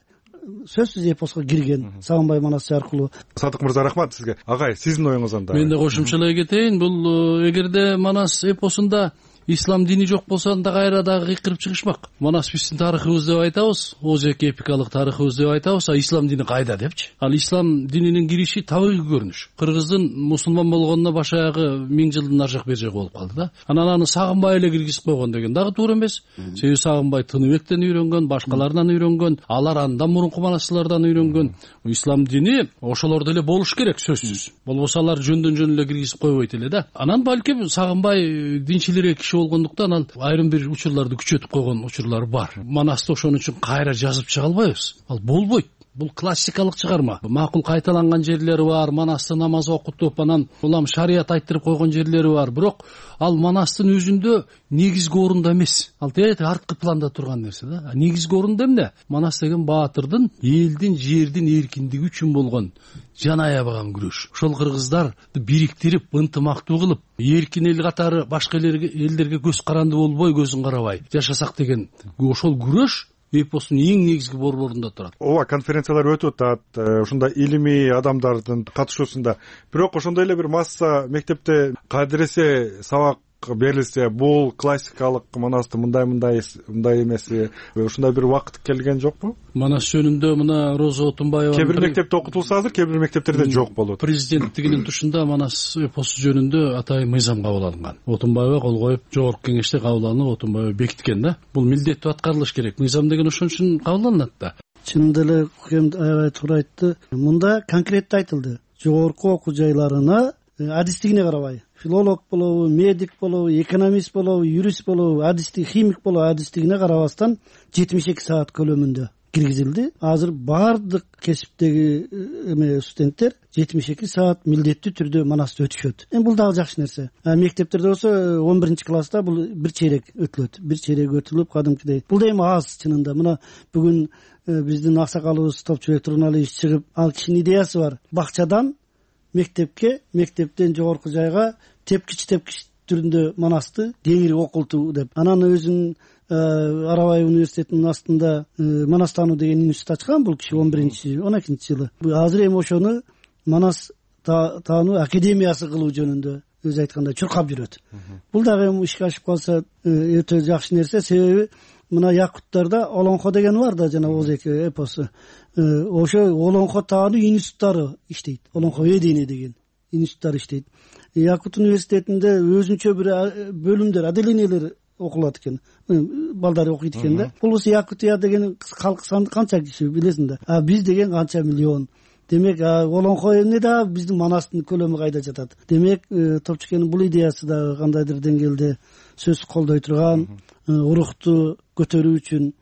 Speaker 9: сөзсүз эпоско кирген Сагынбай манасчы аркылуу.
Speaker 17: Садык мырза, рахмат сизге. Агай, сиздин оюңуз анда?
Speaker 10: Мен да кошумчалай кетейин. Бул эгерде Манас эпосунда ислам дини жок болсо анда кайра дагы кыйкырып чыгышмак. Манас биздин тарыхыбыз деп айтабыз, Ооз эки эпикалык тарыхыбыз деп айтабыз, ислам дини кайда депчи. Ал ислам дининин кириши табигый көрүнүш. Кыргыздын мусулман болгонуна баш аягы 1000 жылдын нар жак бери жак болуп калды да. Анан аны Сагынбай эле киргизип койгон деген дагы туура эмес. Себеби Сагынбай Тыныбектен үйрөнгөн, башкалардан үйрөнгөн, алар андан мурунку манасчылардан үйрөнгөн. Ислам дини ошолордо эле болуш керек сөзсүз. Болбосо алар жөндөн жөн эле киргизип койбойт эле да. Анан балким Сагынбай динчилирээк киши болгондуктан ал айрым бир учурларды күчөтүп койгон учурлар бар. Манасты ошон үчүн кайра жазып чыга албайбыз. Ал болбойт. Бул классикалык чыгарма. Макул кайталанган жерлери бар, Манасты намаз окутуп, анан улам шарият айттырып койгон жерлери бар. Бирок ал Манастын өзүндө негизги орунда эмес. Ал тээ арткы планда турган нерсе да. Негизги орунда эмне? Манас деген баатырдын элдин, жердин эркиндиги үчүн болгон жан аябаган күрөш. Ошол кыргыздарды бириктирип, ынтымактуу кылып, эркин эл катары башка элдерге көз каранды болбой, көзүн карабай жашасак деген ошол күрөш эпостун эң негизги борборунда турат.
Speaker 17: Ооба, конференциялар өтүп атат, ушундай илимий адамдардын катышуусунда. Бирок ошондой эле бир масса мектепте кадыресе сабак берилсе, бул классикалык Манасты мындай эмес, ушундай бир убакыт келген жокпу?
Speaker 10: Манас жөнүндө мына Роза Отунбаева
Speaker 17: кээ бир мектепте окутулса азыр, кээ бир мектептерде жок болот.
Speaker 10: Президенттигинин тушунда Манас эпосу жөнүндө атайын мыйзам кабыл алынган. Отунбаева кол коюп, жогорку кеңеште кабыл алынып, Отунбаева бекиткен да. Бул милдеттүү аткарылыш керек. Мыйзам деген ошон үчүн кабыл алынат да.
Speaker 9: Чынында эле Кукем аябай туура айтты. Мында конкреттүү айтылды. Жогорку окуу жайларына адистигине карабай, филолог болобу, медик болобу, экономист болобу, юрист болобу, адистик, химик болобу, адистигине карабастан 72 саат көлөмүндө киргизилди. Азыр баардык кесиптеги студенттер 72 саат милдеттүү түрдө Манасты өтүшөт. Бул дагы жакшы нерсе. Мектептерде болсо 11-класста бул бир чейрек өтүлөт. Бир чейрек өтүлүп кадимкидей. Бул да эми аз чынында. Мына бүгүн биздин аксакалыбыз Топчубек Туруналиевич чыгып, ал кишинин идеясы бар. Бакчадан мектепке, мектептен жогорку жайга тепкич түрүндө Манасты кеңири окултуу деп. Анан өзүнүн Арабай университетинин астында Манастануу деген институт ачкан бул киши 11-12 жылы. Азыр эми ошону Манас таануу академиясы кылуу жөнүндө өзү айткандай чуркап жүрөт. Бул дагы эми ишке ашып калса өтө жакшы нерсе, себеби мына Якуттарда Олонхо деген бар да, жана Ооз эки эпосу. Ошо Олонхо таануу институттары иштейт. Олонхо Ведение деген институттар иштейт. Якут университетинде өзүнчө бир бөлүмдөр, отделениялер окулат экен. Балдар окуйт экен да. Бул Якутия деген калк саны канча киши билесиң да. Биз деген канча миллион. Демек Олонхо эмне да биздин Манастын көлөмү кайда жатат. Демек Топчубектин бул идеясы да кандайдыр деңгээлде сөз колдой турган, урукту көтөрүү үчүн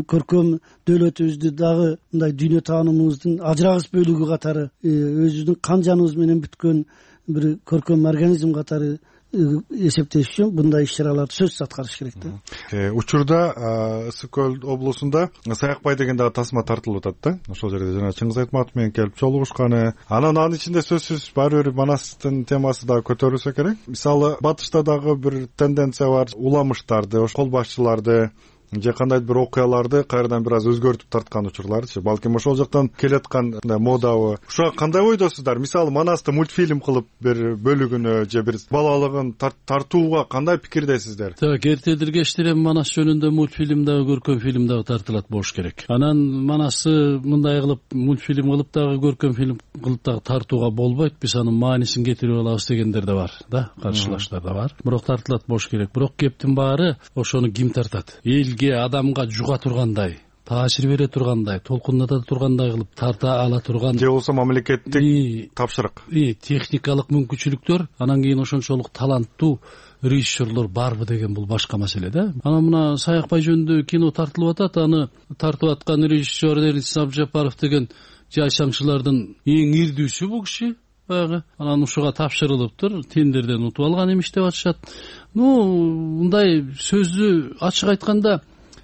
Speaker 9: көркөм дөөлөтүбүздү дагы мындай дүйнө таанымыбыздын ажырагыс бөлүгү катары, өзүбүздүн кан жаныбыз менен бүткөн бир көркөм организм катары эсептеш үчүн мындай иш чараларды сөзсүз аткарыш керек да.
Speaker 17: Учурда Ысык көл облусунда Саякбай деген дагы тасма тартылып атат да. Ошол жерде жана Чыңгыз Айтматов менен келип жолугушканы. Анын ичинде сөзсүз баары бир Манастын темасы дагы көтөрүлсө керек. Мисалы батышта дагы бир тенденция бар, уламыштарды, кол башчыларды же кандайдыр бир окуяларды кайрадан бир аз өзгөртүп тарткан учурларчы. Балким ошол жактан келаткан модабы. Ушуга кандай ойдосуздар? Мисалы Манасты мультфильм кылып бир бөлүгүнө же бир балалыгын тартууга кандай пикирдесиздер?
Speaker 10: Так, эртедиргештер эми Манас жөнүндө мультфильм дагы, көркөм фильм дагы тартылат болуш керек. Анан Манасты мындай кылып мультфильм кылып дагы, көркөм фильм кылып дагы тартууга болбойт. Биз анын маанисин кетирип алабыз дегендер да бар да, каршылаштар да бар. Бирок тартылат болуш керек. Бирок кептин баары ошону ким тартат? Адамга жуга тургандай, таасир бере тургандай, толкуната тургандай кылып тарта ала турган
Speaker 17: же болсо мамлекеттик тапшырык,
Speaker 10: техникалык мүмкүнчүлүктөр, анан кийин ошончолук таланттуу режиссерлор барбы деген бул башка маселе да. Анан мына Саякбай жөнүндө кино тартылып атат, аны тартып аткан режиссер Эрнис Абжапаров деген жайсаңчылардын эң ирдүүсү бул киши. Анан ушуга тапшырылыптыр, тендерден утуп алган эмиш деп атышат. Мындай сөздү ачык айтканда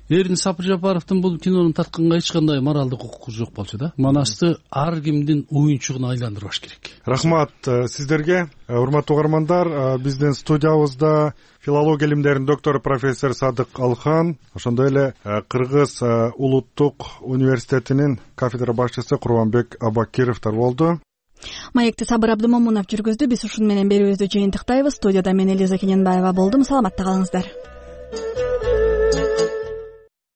Speaker 10: Эрнис Абжапаровдун бул кинону тартканга эч кандай моралдык укугу жок болчу да. Манасты ар кимдин оюнчугуна айландырбаш керек.
Speaker 17: Рахмат сиздерге, урматтуу угармандар. Биздин студиябызда филология илимдеринин доктору профессор Садык Алхан, ошондой эле Кыргыз улуттук университетинин кафедра башчысы Курманбек Абакировдор болду.
Speaker 2: Маекти Сабыр Абдымомунов жүргүздү. Биз ушун менен берүүбүздү жыйынтыктайбыз. Студияда мен Элиза Кененбаева болдум. Саламатта калыңыздар.